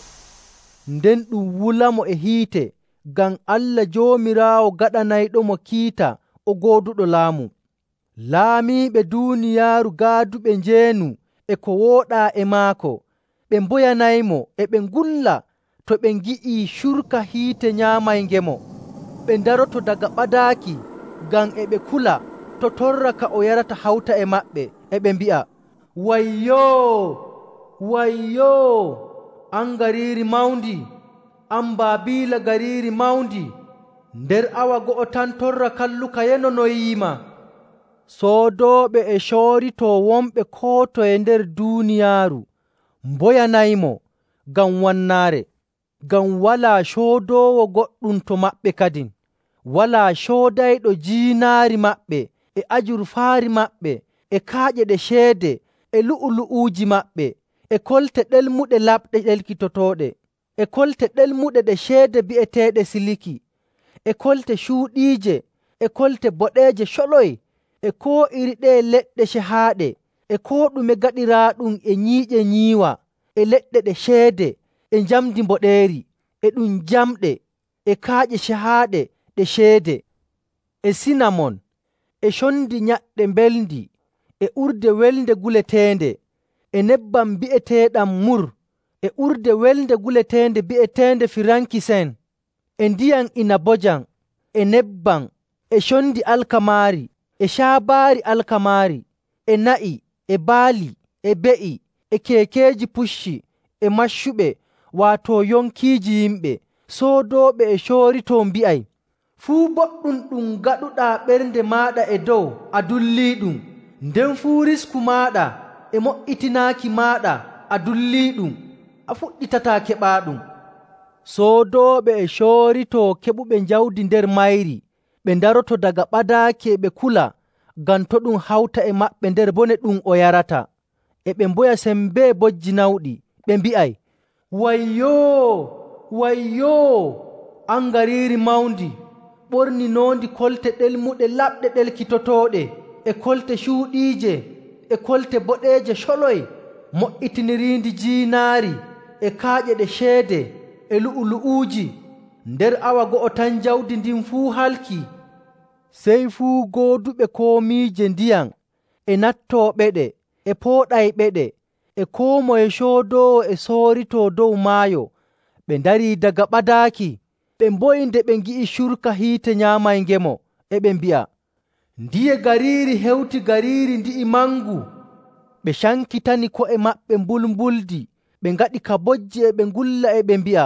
nden ɗum wulamo e hiite, ngam Allah Joomiraawo gaɗanayɗomo kiita o gooduɗo laamu. Laamiiɓe duuniyaaru gaaduɓe njeenu e ko wooɗaa e maako, ɓe mboyanaymo e ɓe ngulla to ɓe ngi'ii curka hiite nyaamay-ngemo. Ɓe ndaroto daga ɓadaaki, ngam e ɓe kula to torra ka o yarata hawta e maɓɓe, e ɓe mbi'a, “Wayyoo! Wayyoo! An gariiri mawndi, an Baabiila gariiri mawndi! Nder awa go'o tan torra kalluka yenonoyiima.” Soodooɓe e cooritoo wonɓe koo toye nder duuniyaaru mboyanaymo ngam wannaare, ngam walaa coodoowo goɗɗum to maɓɓe kadin. Walaa coodayɗo jiinaari maɓɓe e ajurfaari maɓɓe e kaaƴe ɗe ceede e lu'ulu'uuji maɓɓe e kolte ɗelmuɗe laɓɗe ɗelkitotooɗe e kolte ɗelmuɗe ɗe ceede bi'eteeɗe siliki e kolte cuuɗiije e kolte boɗeeje coloy e koo iri ɗee leɗɗe cehaaɗe e koo ɗume gaɗiraaɗum e nyiiƴe nyiiwa e leɗɗe ɗe ceede e njamndi mboɗeeri e ɗum jamɗe e kaaƴe cehaaɗe ɗe ceede e sinamon e condi nyaɗɗe mbelndi e urde welnde guleteende e nebbam bi'eteeɗam mur e urde welnde guleteende bi'eteende firankisen e ndiyam inabojam e nebbam e condi alkamaari e caabaari alkamaari e na'i e baali e be'i e keekeeji pucci e maccuɓe, waato yonkiiji yimɓe. Soodooɓe e cooritoo mbi'ay, “Fuu boɗɗum ɗum gaɗuɗaa ɓernde maaɗa e dow a dulliiɗum, nden fuu risku maaɗa e mo''itinaaki maaɗa a dulliiɗum, a fuɗɗitataa keɓaaɗum.” Soodooɓe e cooritoo keɓuɓe jawdi nder mayri, ɓe ndaroto daga ɓadaaki e ɓe kula, ngam to' ɗum hawta e maɓɓe nder bone ɗum o yarata. E ɓe mboya sembee bojji nawɗi, ɓe mbi'ay, “Wayyoo! Wayyoo! An gariiri mawndi, ɓorninoondi kolte ɗelmuɗe laɓɗe ɗelkitotooɗe e kolte cuuɗiije e kolte boɗeeje coloy, mo''itiniriindi jiinaari e kaaƴe ɗe ceede e lu'ulu'uuji. Nder awa go'o tan jawdi ndin fuu halkii. Sey fuu gooduɓe komiije ndiyam e nattooɓeɗe e pooɗayɓeɗe e koo moye coodoowo e sooritoo dow maayo ɓe ndarii daga ɓadaaki. Ɓe mboyi nde ɓe ngi'i curka hiite nyaamayngemo, e ɓe mbi'a, “Ndiye gariiri hewti gariiri ndi'i mangu?” Ɓe cankitani ko'e maɓɓe mbulmbuldi, ɓe ngaɗi ka bojji e ɓe ngulla e ɓe mbi'a,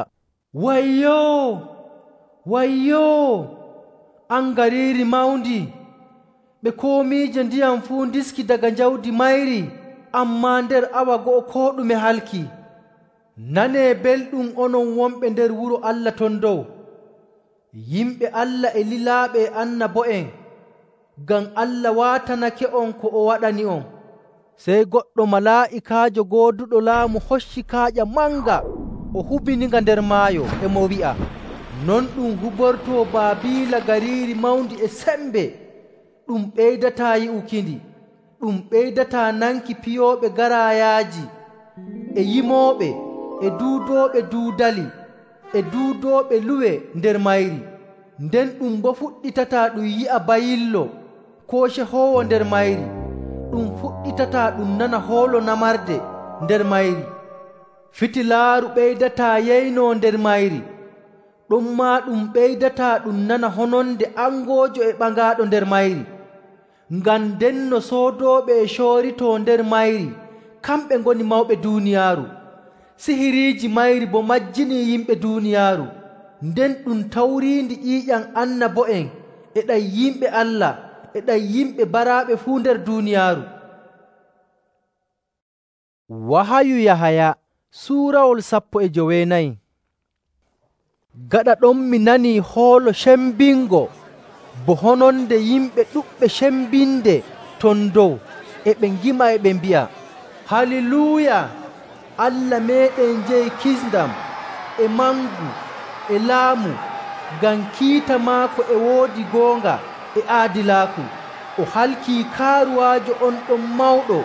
“Wayyoo! Wayyoo! An gariiri mawndi!” Ɓe komiije ndiyam fuu ndiski daga jawdi mayri, ammaa nder awa go'o koo ɗume halkii. Nanee belɗum onon wonɓe nder wuro Allah ton dow, yimɓe Allah e lilaaɓe e annabo'en, ngam Allah waatanake'on ko o waɗani'on. Sey goɗɗo malaa'ikaajo gooduɗo laamu hocci kaaƴa manga, o hubininga nder maayo, e mo wi'a, “Non ɗum hubortoo Baabiila gariiri mawndi e sembe. Ɗum ɓeydataa yi'ukindi, ɗum ɓeydataa nanki piyooɓe garaayaaji, e yimooɓe, e duudooɓe duudali, e duudooɓe luwe nder mayri. Nden ɗum boo fuɗɗitataa ɗum yi'a bayillo koo cehoowo nder mayri. Ɗum fuɗɗitataa ɗum nana hoolo namarde nder mayri. Fitilaaru ɓeydataa yeynoo nder mayri. Ɗonmaa ɗum ɓeydataa ɗum nana hononde angoojo e ɓangaaɗo nder mayri. Ngam ndenno soodooɓe e cooritoo nder mayri kamɓe ngoni mawɓe duuniyaaru. Sihiriiji mayri boo majjinii yimɓe duuniyaaru. Nden ɗum tawriindi ƴiiƴam annabo'en e ɗam yimɓe Allah e ɗam yimɓe baraaɓe fuu nder duuniyaaru. Wahayu Yahaya suurawol 14. Gaɗa ɗon mi nanii hoolo cembingo bo hononde yimɓe ɗuɗɓe cembinde ton dow, e ɓe ngima e ɓe mbi'a, “Haliluuya! Allah meeɗen jeyi kisndam, e mangu, e laamu, ngam kiita maako e woodi goonga e aadilaaku. O halkii kaaruwaajo on ɗon mawɗo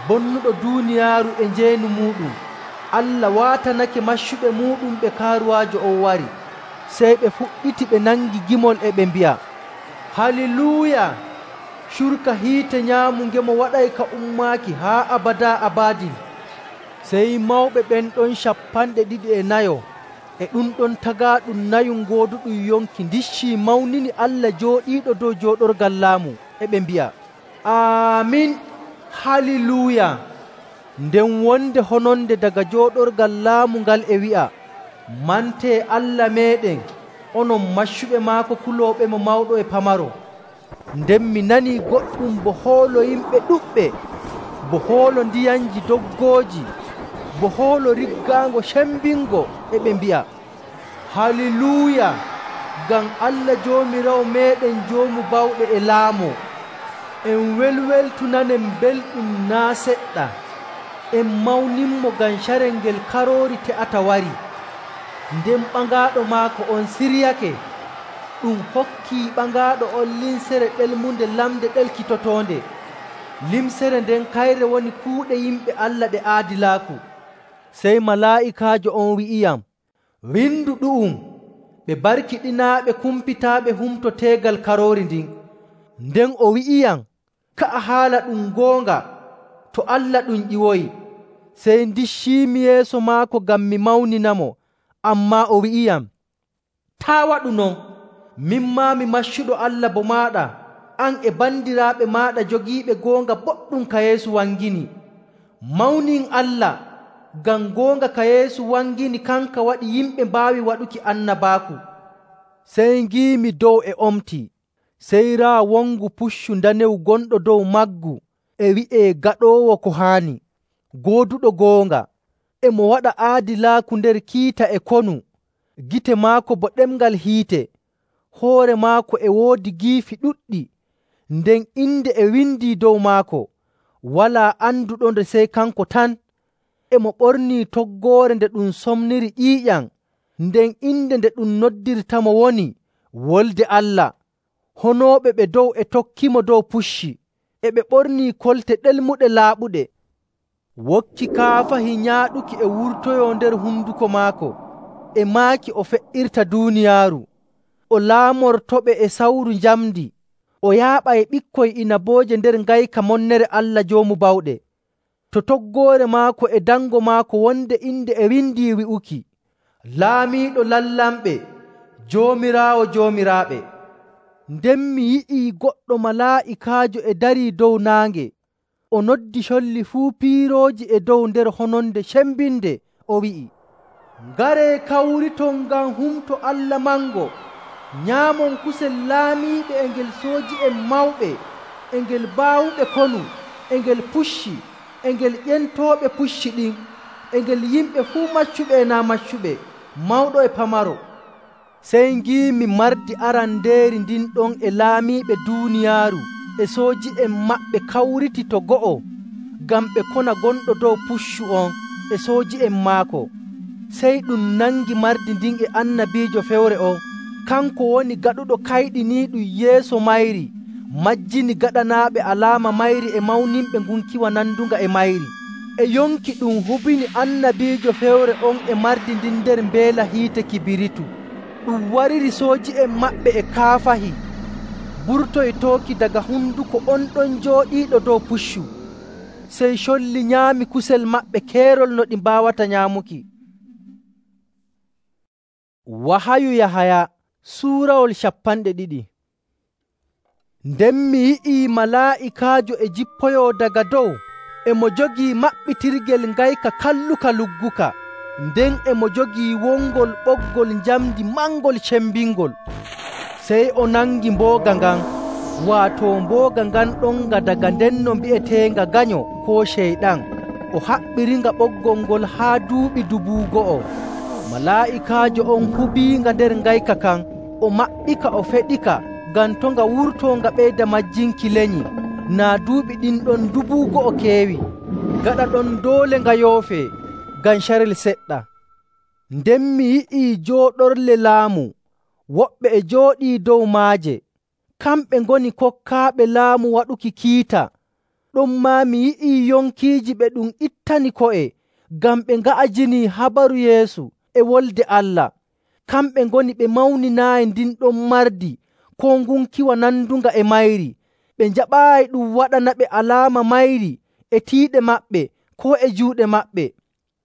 bonnuɗo duuniyaaru e njeenu muuɗum. Allah waatanake maccuɓe muuɗum ɓe kaaruwaajo on wari.” Sey ɓe fuɗɗiti ɓe nangi gimol e ɓe mbi'a, “Haliluuya! Curka hiite nyaamungemo waɗay ka ummaaki haa abadaa abadin.” Sey mawɓe ɓen ɗon 250 e ɗum ɗon tagaaɗum nayu gooduɗum yonki ndiccii mawnini Allah jooɗiiɗo dow jooɗorgal laamu, e ɓe mbi'a, “Aamin! Haliluuya!” Nden wonde hononde daga jooɗorgal laamu ngal e wi'a, “Mantee Allah meeɗen, onon maccuɓe maako kulooɓemo mawɗo e pamaro.” Nden mi nanii goɗɗum bo hoolo yimɓe ɗuɗɓe, bo hoolo ndiyanji doggooji, bo hoolo riggaango cembingo, e ɓe mbi'a, “Haliluuya! Ngam Allah Joomiraawo meeɗen Joomu bawɗe e laamu. En welweltunanen belɗum naa' seɗɗa. En mawninmo ngam carel ngel Karoori te'ata wari.” Nden ɓangaaɗo maako on siryake, ɗum hokkii ɓangaaɗo on limsere ɗelmunde lamde ɗelkitotoonde. Limsere nden kayre woni kuuɗe yimɓe Allah ɗe aadilaaku. Sey malaa'ikaajo on wi'iyam, “Windu ɗu'um, ɓe barkiɗinaaɓe kumpitaaɓe humto teegal Karoori ndin.” Nden o wi'iyam, “Ka'a haala ɗum goonga, to Allah ɗum ƴiwoyi.” Sey ndicciimi yeeso maako ngam mi mawninamo. Ammaa o wi'iyam, “Taa' waɗu non. Min maa mi maccuɗo Allah bo maaɗa, an e bandiraaɓe maaɗa jogiiɓe goonga boɗɗum ka Yeesu wangini. Mawnin Allah, ngam goonga ka Yeesu wangini kanka waɗi yimɓe mbaawi waɗuki annabaaku.” Sey ngiimi dow e omti, sey raa wongu puccu ndanewu gonɗo dow maggu e wi'ee Gaɗoowo Ko Haani, Gooduɗo Goonga. E mo waɗa aadilaaku nder kiita e konu, gite maako bo ɗemngal hiite, hoore maako e woodi giifi ɗuɗɗi, nden inde e windii dow maako, walaa anduɗonde sey kanko tan. E mo ɓornii toggoore nde ɗum somniri ƴiiƴam, nden inde nde ɗum noddirtamo woni Wolde Allah. Honooɓe ɓe dow e tokkimo dow pucci, e ɓe ɓornii kolte ɗelmuɗe laaɓuɗe. Wokki kaafahi nyaaɗuki e wurtoyoo nder hunduko maako, e maaki o fe'irta duuniyaaru, o laamortoɓe e sawru njamndi, o yaaɓay ɓikkoy inabooje nder ngayka monnere Allah Joomu Bawɗe. To toggoore maako e dango maako wonde inde e windii wi'uki, Laamiiɗo lallamɓe, Joomiraawo joomiraaɓe. Nden mi yi'ii goɗɗo malaa'ikaajo e darii dow naange. O noddi colli fuu piirooji e dow nder hononde cembinde, o wi'i, “Ngaree kawriton ngam humto Allah mango, nyaamon kusel laamiiɓe e ngel sooji'en mawɓe, e ngel baawuɓe konu, e ngel pucci, e ngel ƴentooɓe pucci ɗin, e ngel yimɓe fuu maccuɓe e naa maccuɓe, mawɗo e pamaro.” Sey ngiimi mardi arandeeri ndin ɗon e laamiiɓe duuniyaaru e sooji'en maɓɓe kawriti to go'o ngam ɓe kona gonɗo dow puccu on e sooji'en maako. Sey ɗum nangi mardi ndin e annabiijo fewre on, kanko woni gaɗuɗo kayɗiniiɗum yeeso mayri, majjini gaɗanaaɓe alaama mayri e mawninɓe ngunkiwa nandunga e mayri. E yonki ɗum hubini annabiijo fewre on e mardi ndin nder mbeela hiite kibiritu. Ɗum wariri sooji'en maɓɓe e kaafahi, burtoytooki daga hunduko on ɗon jooɗiiɗo dow puccu. Sey colli nyaami kusel maɓɓe keerol no ɗi mbaawata nyaamuki. Wahayu Yahaya suurawol 2. Nden mi yi'ii malaa'ikaajo e jippoyoo daga dow, e mo jogii maɓɓitirgel ngayka kalluka lugguka, nden e mo jogii wongol ɓoggol njamndi mangol cembingol. Sey o nangi mbooga ngan, waato mbooga ngan ɗonga daga ndenno mbi'eteenga ganyo koo Ceyɗan, o haɓɓiringa ɓoggol ngol haa duuɓi 2,000. Malaa'ikaajo on hubiinga nder ngayka kan, o maɓɓika o feɗika ngam to nga wurtoo nga ɓeyda majjinki lenyi, naa duuɓi ɗin ɗon 2,000 keewi. Gaɗa ɗon doole nga yoofee ngam carel seɗɗa. Nden mi yi'ii jooɗorle laamu, woɓɓe e jooɗii dow maaje. Kamɓe ngoni kokkaaɓe laamu waɗuki kiita. Ɗonmaa mi yi'ii yonkiiji ɓe ɗum ittani ko'e ngam ɓe nga'ajinii habaru Yeesu e Wolde Allah. Kamɓe ngoni ɓe mawninaayi ndin ɗon mardi koo ngunkiwa nandunga e mayri. Ɓe njaɓaayi ɗum waɗanaɓe alaama mayri e tiiɗe maɓɓe koo e juuɗe maɓɓe.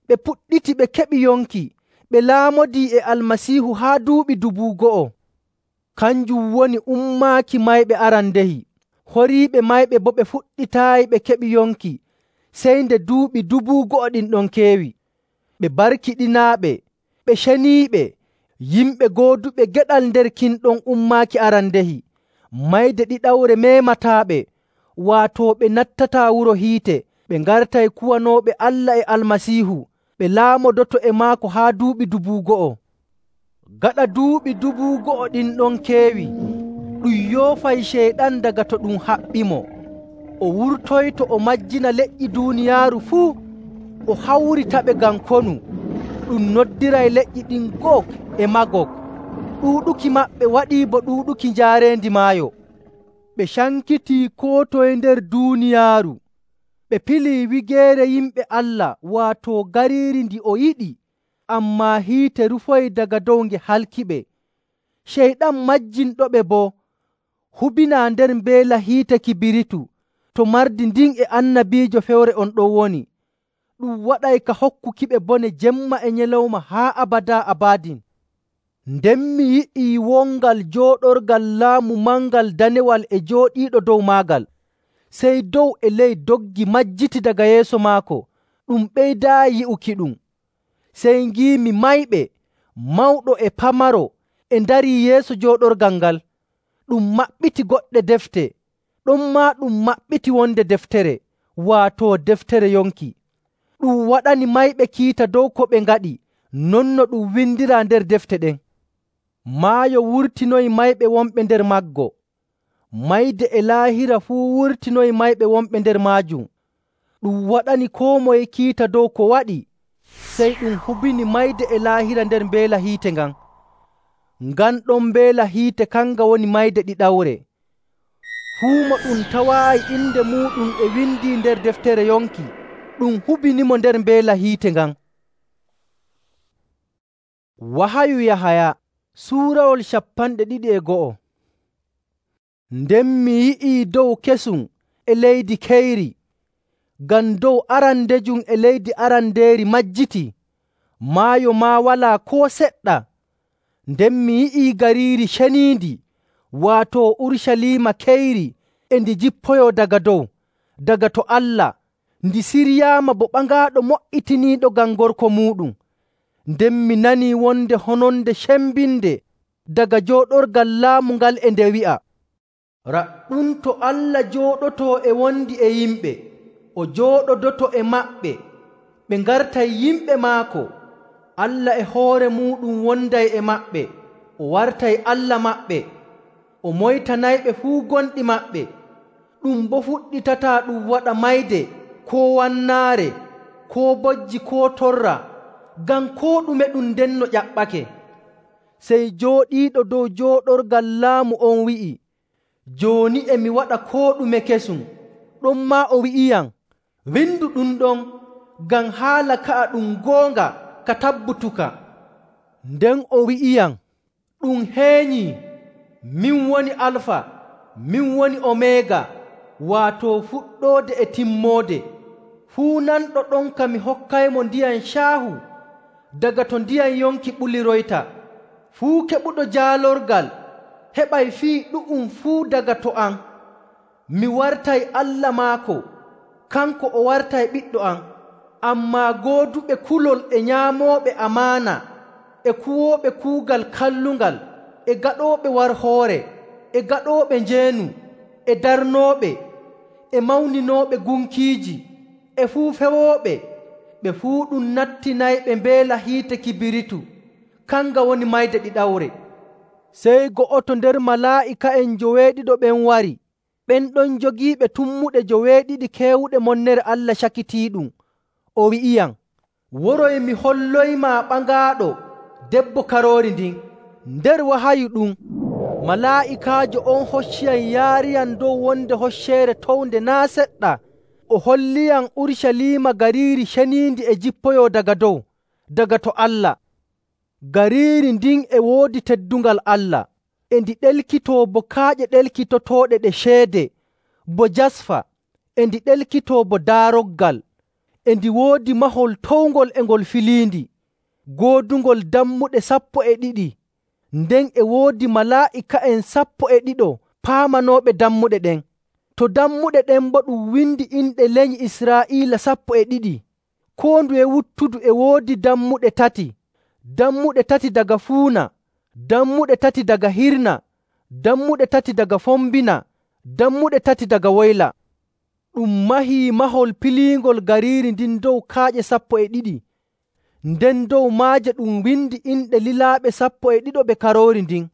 Ɓe puɗɗiti ɓe keɓi yonki, ɓe laamodii e Almasiihu haa duuɓi 2,000. Kanjum woni ummaaki mayɓe arandehi. Horiiɓe mayɓe boo ɓe fuɗɗitaayi ɓe keɓi yonki, sey nde duuɓi 2,000 ɗin ɗon keewi. Ɓe barkiɗinaaɓe, ɓe ceniiɓe, yimɓe gooduɓe geɗal nder kin ɗon ummaaki arandehi, mayde ɗiɗawre meemataaɓe, waato ɓe nattataa wuro hiite, ɓe ngartay kuwanooɓe Allah e Almasiihu, ɓe laamodoto e maako haa duuɓi 2,000. Gaɗa duuɓi 2,000 ɗin ɗon keewi, ɗum yoofay Ceyɗan daga to ɗum haɓɓimo. O wurtoyto o majjina leƴƴi duuniyaaru fuu, o hawritaɓe ngam konu. Ɗum noddiray leƴƴi ɗin Gog e Magog. Ɗuuɗuki maɓɓe waɗii bo ɗuuɗuki njaareendi maayo. Ɓe cankitii koo toye nder duuniyaaru. Ɓe pilii wigeere yimɓe Allah, waato gariiri ndi o yiɗi, ammaa hiite rufoyi daga dow nge halkiɓe. Ceyɗan majjinɗoɓe boo hubinaa nder mbeela hiite kibiritu to mardi ndin e annabiijo fewre on ɗon woni. Ɗum waɗay ka hokkukiɓe bone jemma e nyalawma haa abadaa abadin. Nden mi yi'ii wongal jooɗorgal laamu mangal danewal e jooɗiiɗo dow maagal. Sey dow e ley doggi majjiti daga yeeso maako, ɗum ɓeydaayi yi'ukiɗum. Sey ngiimi mayɓe, mawɗo e pamaro, e ndarii yeeso jooɗorgal ngal. Ɗum maɓɓiti goɗɗe defte, ɗonmaa ɗum maɓɓiti wonde deftere, waato deftere yonki. Ɗum waɗani mayɓe kiita dow ko ɓe ngaɗi, non no ɗum windiraa nder defte ɗen. Maayo wurtinoyi mayɓe wonɓe nder maggo. Mayde e laahira fuu wurtinoyi mayɓe wonɓe nder maajum. Ɗum waɗani koo moye kiita dow ko waɗi, sey ɗum hubini mayde e laahira nder mbeela hiite ngan. Ngan ɗon mbeela hiite kanga woni mayde ɗiɗawre. Fuu mo ɗum tawaayi inde muuɗum e windii nder deftere yonki, ɗum hubinimo nder mbeela hiite ngan. Wahayu Yahaya suurawol 21. Nden mi yi'ii dow kesum e leydi keyri, ngam dow arandejum e leydi arandeeri majjitii, maayo maa walaa koo seɗɗa. Nden mi yi'ii gariiri ceniindi, waato Urucaliima keyri, e ndi jippoyoo daga dow, daga to Allah, ndi siryaama bo ɓangaaɗo mo''itiniiɗo ngam gorko muuɗum. Nden mi nanii wonde hononde cembinde daga jooɗorgal laamu ngal e nde wi'a, “Raɗɗum to Allah jooɗotoo e wondi e yimɓe, o jooɗodoto e maɓɓe, ɓe ngartay yimɓe maako. Allah e hoore muuɗum wonday e maɓɓe, o wartay Allah maɓɓe, o moytanayɓe fuu gonɗi maɓɓe. Ɗum boo fuɗɗitataa ɗum waɗa mayde koo wannaare, koo bojji koo torra, ngam koo ɗume ɗum ndenno ƴaɓɓake.” Sey jooɗiiɗo dow jooɗorgal laamu on wi'i, “Jooni e mi waɗa koo ɗume kesum.” Ɗonmaa o wi'iyam, “Windu ɗum ɗon, ngam haala ka'a ɗum goonga ka tabbutuka.” Nden o wi'iyam, “Ɗum heenyii. Min woni Alfa, min woni Omeega, waato fuɗɗoode e timmoode. Fuu nanɗo ɗonka mi hokkaymo ndiyam caahu daga to ndiyam yonki ɓuliroyta. Fuu keɓuɗo jaalorgal heɓay fii ɗu'um fuu daga to am. Mi wartay Allah maako, kanko o wartay ɓiɗɗo am. Ammaa gooduɓe kulol e nyaamooɓe amaana, e kuwooɓe kuugal kallungal, e gaɗooɓe warhoore, e gaɗooɓe njeenu, e darnooɓe, e mawninooɓe gunkiiji, e fuu fewooɓe, ɓe fuu ɗum nattinayɓe mbeela hiite kibiritu, kanga woni mayde ɗiɗawre.” Sey go'oto nder malaa'ika'en joweeɗiɗo ɓen wari, ɓen ɗon jogiiɓe tummuɗe joweeɗiɗi keewuɗe monnere Allah cakitiiɗum. O wi'iyam, “Woroy mi holloymaa ɓangaaɗo debbo Karoori ndin.” Nder wahayu ɗum, malaa'ikaajo on hocciyam yaariyam dow wonde hocceere townde naa' seɗɗa. O holliyam Urucaliima gariiri ceniindi e jippoyoo daga dow, daga to Allah. Gariiri ndin e woodi teddungal Allah, e ndi ɗelkitoo bo kaaƴe ɗelkitotooɗe ɗe ceede, bo jasfa, e ndi ɗelkitoo bo daaroggal. E ndi woodi mahol towngol e ngol filiindi, goodungol dammuɗe 12. Nden e woodi malaa'ika'en 12 paamanooɓe dammuɗe ɗen. To dammuɗe ɗen boo ɗum windi inɗe lenyi Israa'iila 12. Koo nduye wuttudu e woodi dammuɗe 3. Dammuɗe 3 daga fuuna, dammuɗe 3 daga hirna, dammuɗe 3 daga fombina, dammuɗe 3 daga woyla. Ɗum mahii mahol piliingol gariiri ndin dow kaaƴe 12. Nden dow maaje ɗum windi inɗe lilaaɓe 12 Karoori ndin.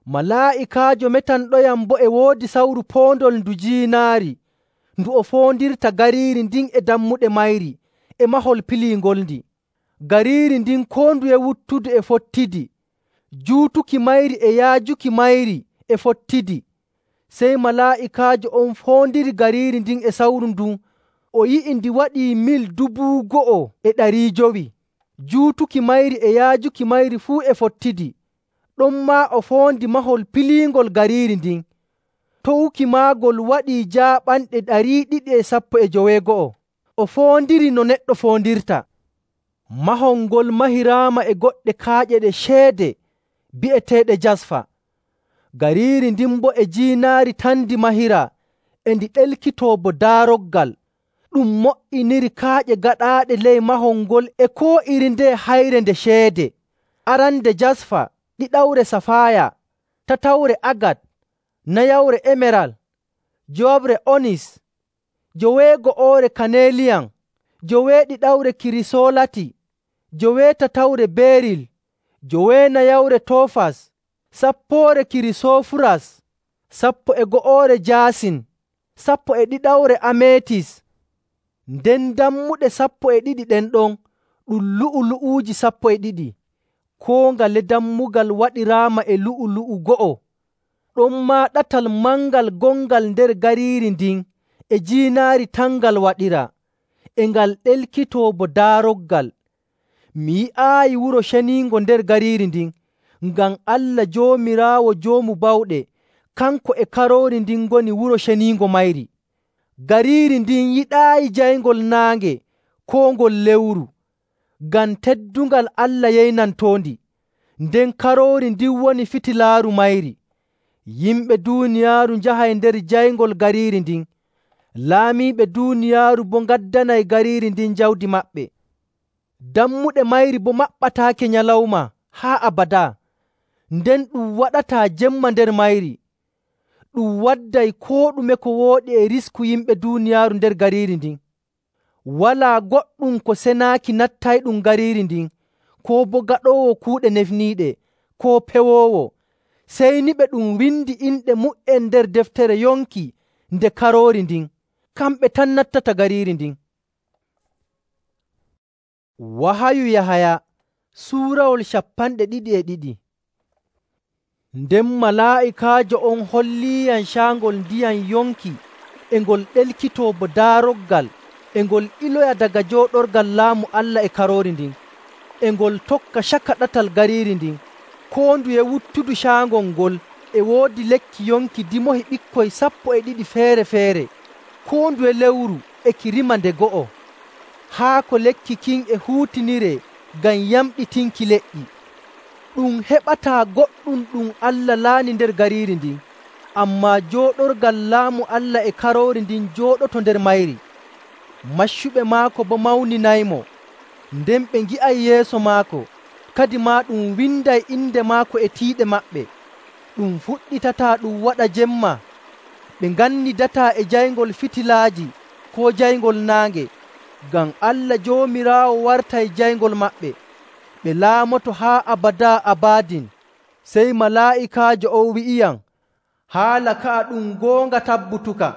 Malaa'ikaajo metanɗoyam boo e woodi sawru poondol ndu jiinaari, ndu o foondirta gariiri ndin e dammuɗe mayri e mahol piliingol ndi. Gariiri ndin koo nduye wuttudu e fottidi, juutuki mayri e yaajuki mayri e fottidi. Sey malaa'ikaajo on foondiri gariiri ndin e sawru ndun, o yi'i ndi waɗii mil 9,500. Juutuki mayri e yaajuki mayri fuu e fottidi. Ɗonmaa o foondi mahol piliingol gariiri ndin. Towuki maagol waɗii jaaɓanɗe 212. O foondiri no neɗɗo foondirta. Mahol ngol mahiraama e goɗɗe kaaƴe ɗe ceede bi'eteeɗe jasfa. Gariiri ndin boo e jiinaari tan ndi mahiraa, e ndi ɗelkitoo bo daaroggal. Ɗum mo''iniri kaaƴe gaɗaaɗe ley mahol ngol e koo iri ndeye hayre nde ceede: arande jasfa, ɗiɗawre safaaya, tatawre agat, nayawre emeral, jowabre onis, joweego'oore kaneliyam, joweeɗiɗawre kirisolati, joweetatawre beril, joweenayawre tofas, sappoore kirisofuras, 12 jaasin, 12 ametis. Nden dammuɗe 12 ɗen ɗon ɗum lu'ulu'uuji 12. Koo ngale dammugal waɗiraama e lu'ulu'u go'o. Ɗonmaa ɗatal mangal gongal nder gariiri ndin e jiinaari tan ngal waɗiraa, e ngal ɗelkitoo bo daaroggal. mi yi'aayi wuro ceniingo nder gariiri ndin, ngam Allah Joomiraawo Joomu Bawɗe, kanko e Karoori ndin ngoni wuro ceniingo mayri. Gariiri ndin yiɗaayi jayngol naange koo ngol lewru, ngam teddungal Allah yeynantoondi. Nden Karoori ndin woni fitilaaru mayri. Yimɓe duuniyaaru njahay nder jayngol gariiri ndin. Laamiiɓe duuniyaaru boo ngaddanay gariiri ndin jawdi maɓɓe. Dammuɗe mayri boo maɓɓataake nyalawma haa abadaa. Nden ɗum waɗataa jemma nder mayri. Ɗum wadday koo ɗume ko wooɗi e risku yimɓe duuniyaaru nder gariiri ndin. Walaa goɗɗum ko senaaki nattayɗum gariiri ndin, koo boo gaɗoowo kuuɗe nefniiɗe, koo pewoowo, sey ni ɓe ɗum windi inɗe mu''en nder deftere yonki nde Karoori ndin. Kamɓe tan nattata gariiri ndin. Wahayu Yahaya suurawol 22. Nden malaa'ikaajo on holliiyam caangol ndiyam yonki e ngol ɗelkitoo bo daaroggal, e ngol iloya daga jooɗorgal laamu Allah e Karoori ndin, e ngol tokka caka ɗatal gariiri ndin. Koo nduye wuttudu caangol ngol e woodi lekki yonki dimohi ɓikkoy 12 feere‑feere, koo nduye lewru e ki rima nde go'o. Haa ko lekki kin e huutiniree ngam yamɗitinki leƴƴi. Ɗum heɓataa goɗɗum ɗum Allah laani nder gariiri ndin, ammaa jooɗorgal laamu Allah e Karoori ndin jooɗoto nder mayri. Maccuɓe maako boo mawninaymo. Nden ɓe ngi'ay yeeso maako, kadi maa ɗum winday inde maako e tiiɗe maɓɓe. Ɗum fuɗɗitataa ɗum waɗa jemma. Ɓe ngannidataa e jayngol fitilaaji koo jayngol naange, ngam Allah Joomiraawo wartay jayngol maɓɓe. Ɓe laamoto haa abadaa abadin. Sey malaa'ikaajo on wi'iyam, haala ka'a ɗum goonga tabbutuka.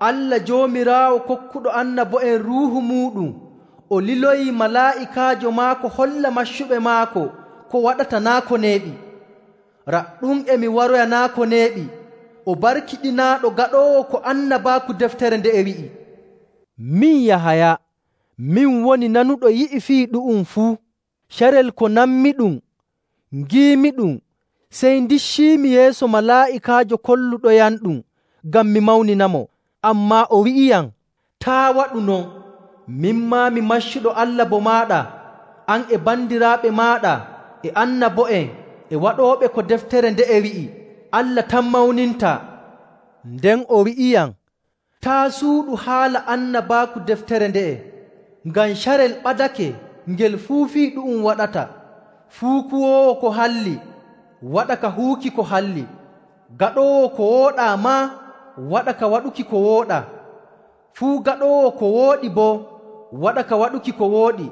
Allah Joomiraawo kokkuɗo annabo'en Ruuhu muuɗum, o liloyii malaa'ikaajo maako holla maccuɓe maako ko waɗata naa ko neeɓi. Raɗɗum e mi waroya naa ko neeɓi, o barkiɗinaaɗo gaɗoowo ko annabaaku deftere nde e wi'i. Min Yahaya, min woni nanuɗo yi'i fii ɗu'um fuu. Carel ko nammiɗum, ngiimiɗum, sey ndicciimi yeeso malaa'ikaajo kolluɗoyamɗum ngam mi mawninamo. Ammaa o wi'iyam, taa waɗu non. Min maa mi maccuɗo Allah bo maaɗa, an e bandiraaɓe maaɗa, e annabo'en, e waɗooɓe ko deftere nde e wi'i, Allah tan mawnintaa. Nden o wi'iyam, taa suuɗu haala annabaaku deftere nde'e, ngam carel ɓadake ngel fuu fii ɗu'um waɗata. Fuu kuwoowo ko halli, waɗa ka huuki ko halli. Gaɗoowo ko wooɗaa maa, waɗa ka waɗuki ko wooɗaa. Fuu gaɗoowo ko wooɗi boo, waɗa ka waɗuki ko wooɗi.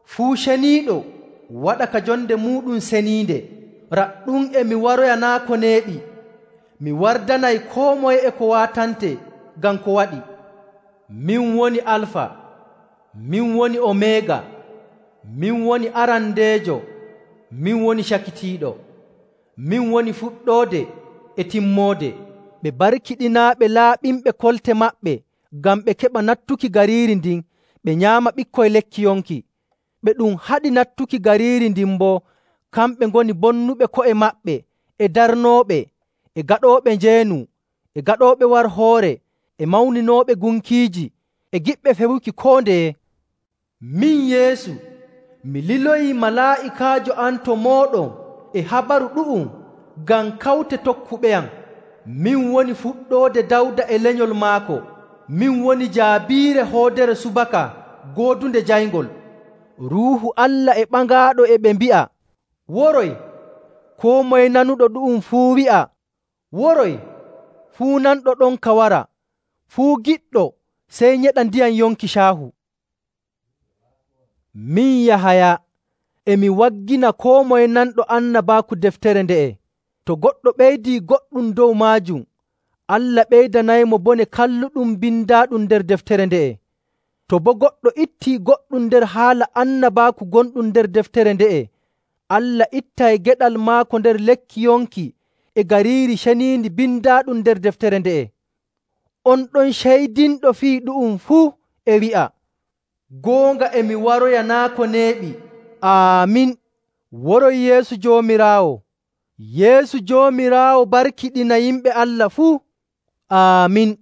Fuu ceniiɗo, waɗa ka jonde muuɗum seniinde. Raɗɗum e mi waroya naa ko neeɓi. Mi wardanay koo moye e ko waatante ngam ko waɗi. Min woni Alfa, min woni Omeega, min woni arandeejo, min woni cakitiiɗo. Min woni fuɗɗoode e timmoode. Ɓe barkiɗinaaɓe laaɓinɓe kolte maɓɓe ngam ɓe keɓa nattuki gariiri ndin ɓe nyaama ɓikkoy lekki yonki. Ɓe ɗum haɗi nattuki gariiri ndin boo, kamɓe ngoni bonnuɓe ko'e maɓɓe e darnooɓe, e gaɗooɓe njeenu, e gaɗooɓe warhoore, e mawninooɓe gunkiiji, e giɓɓe fewuki koo ndeye. Min Yeesu, mi liloyii malaa'ikaajo am to mooɗon e habaru ɗu'um ngam kawte tokkuɓeyam. Min woni fuɗɗoode Dawda e lenyol maako. Min woni jaabiire hoodere subaka goodunde jayngol. Ruuhu Allah e ɓangaaɗo e ɓe mbi'a, woroy. Koo moye nanuɗo ɗu'um fuu wi'a, woroy. Fuu nanɗo ɗonka wara. Fuu giɗɗo sey nyeɗa ndiyam yonki caahu. Min Yahaya, e mi waggina koo moye nanɗo annabaaku deftere nde'e. To goɗɗo ɓeydii goɗɗum dow maajum, Allah ɓeydanaymo bone kalluɗum bindaaɗum nder deftere nde'e. To boo goɗɗo ittii goɗɗum nder haala annabaaku gonɗum nder deftere nde'e, Allah ittay geɗal maako nder lekki yonki e gariiri ceniindi bindaaɗum nder deftere nde'e. On ɗon ceydinɗo fii ɗu'um fuu e wi'a, goonga e mi waroya naa ko neeɓi. Aamin. Woroy Yeesu Joomiraawo. Yeesu Joomiraawo barkiɗina yimɓe Allah fuu. Aamin.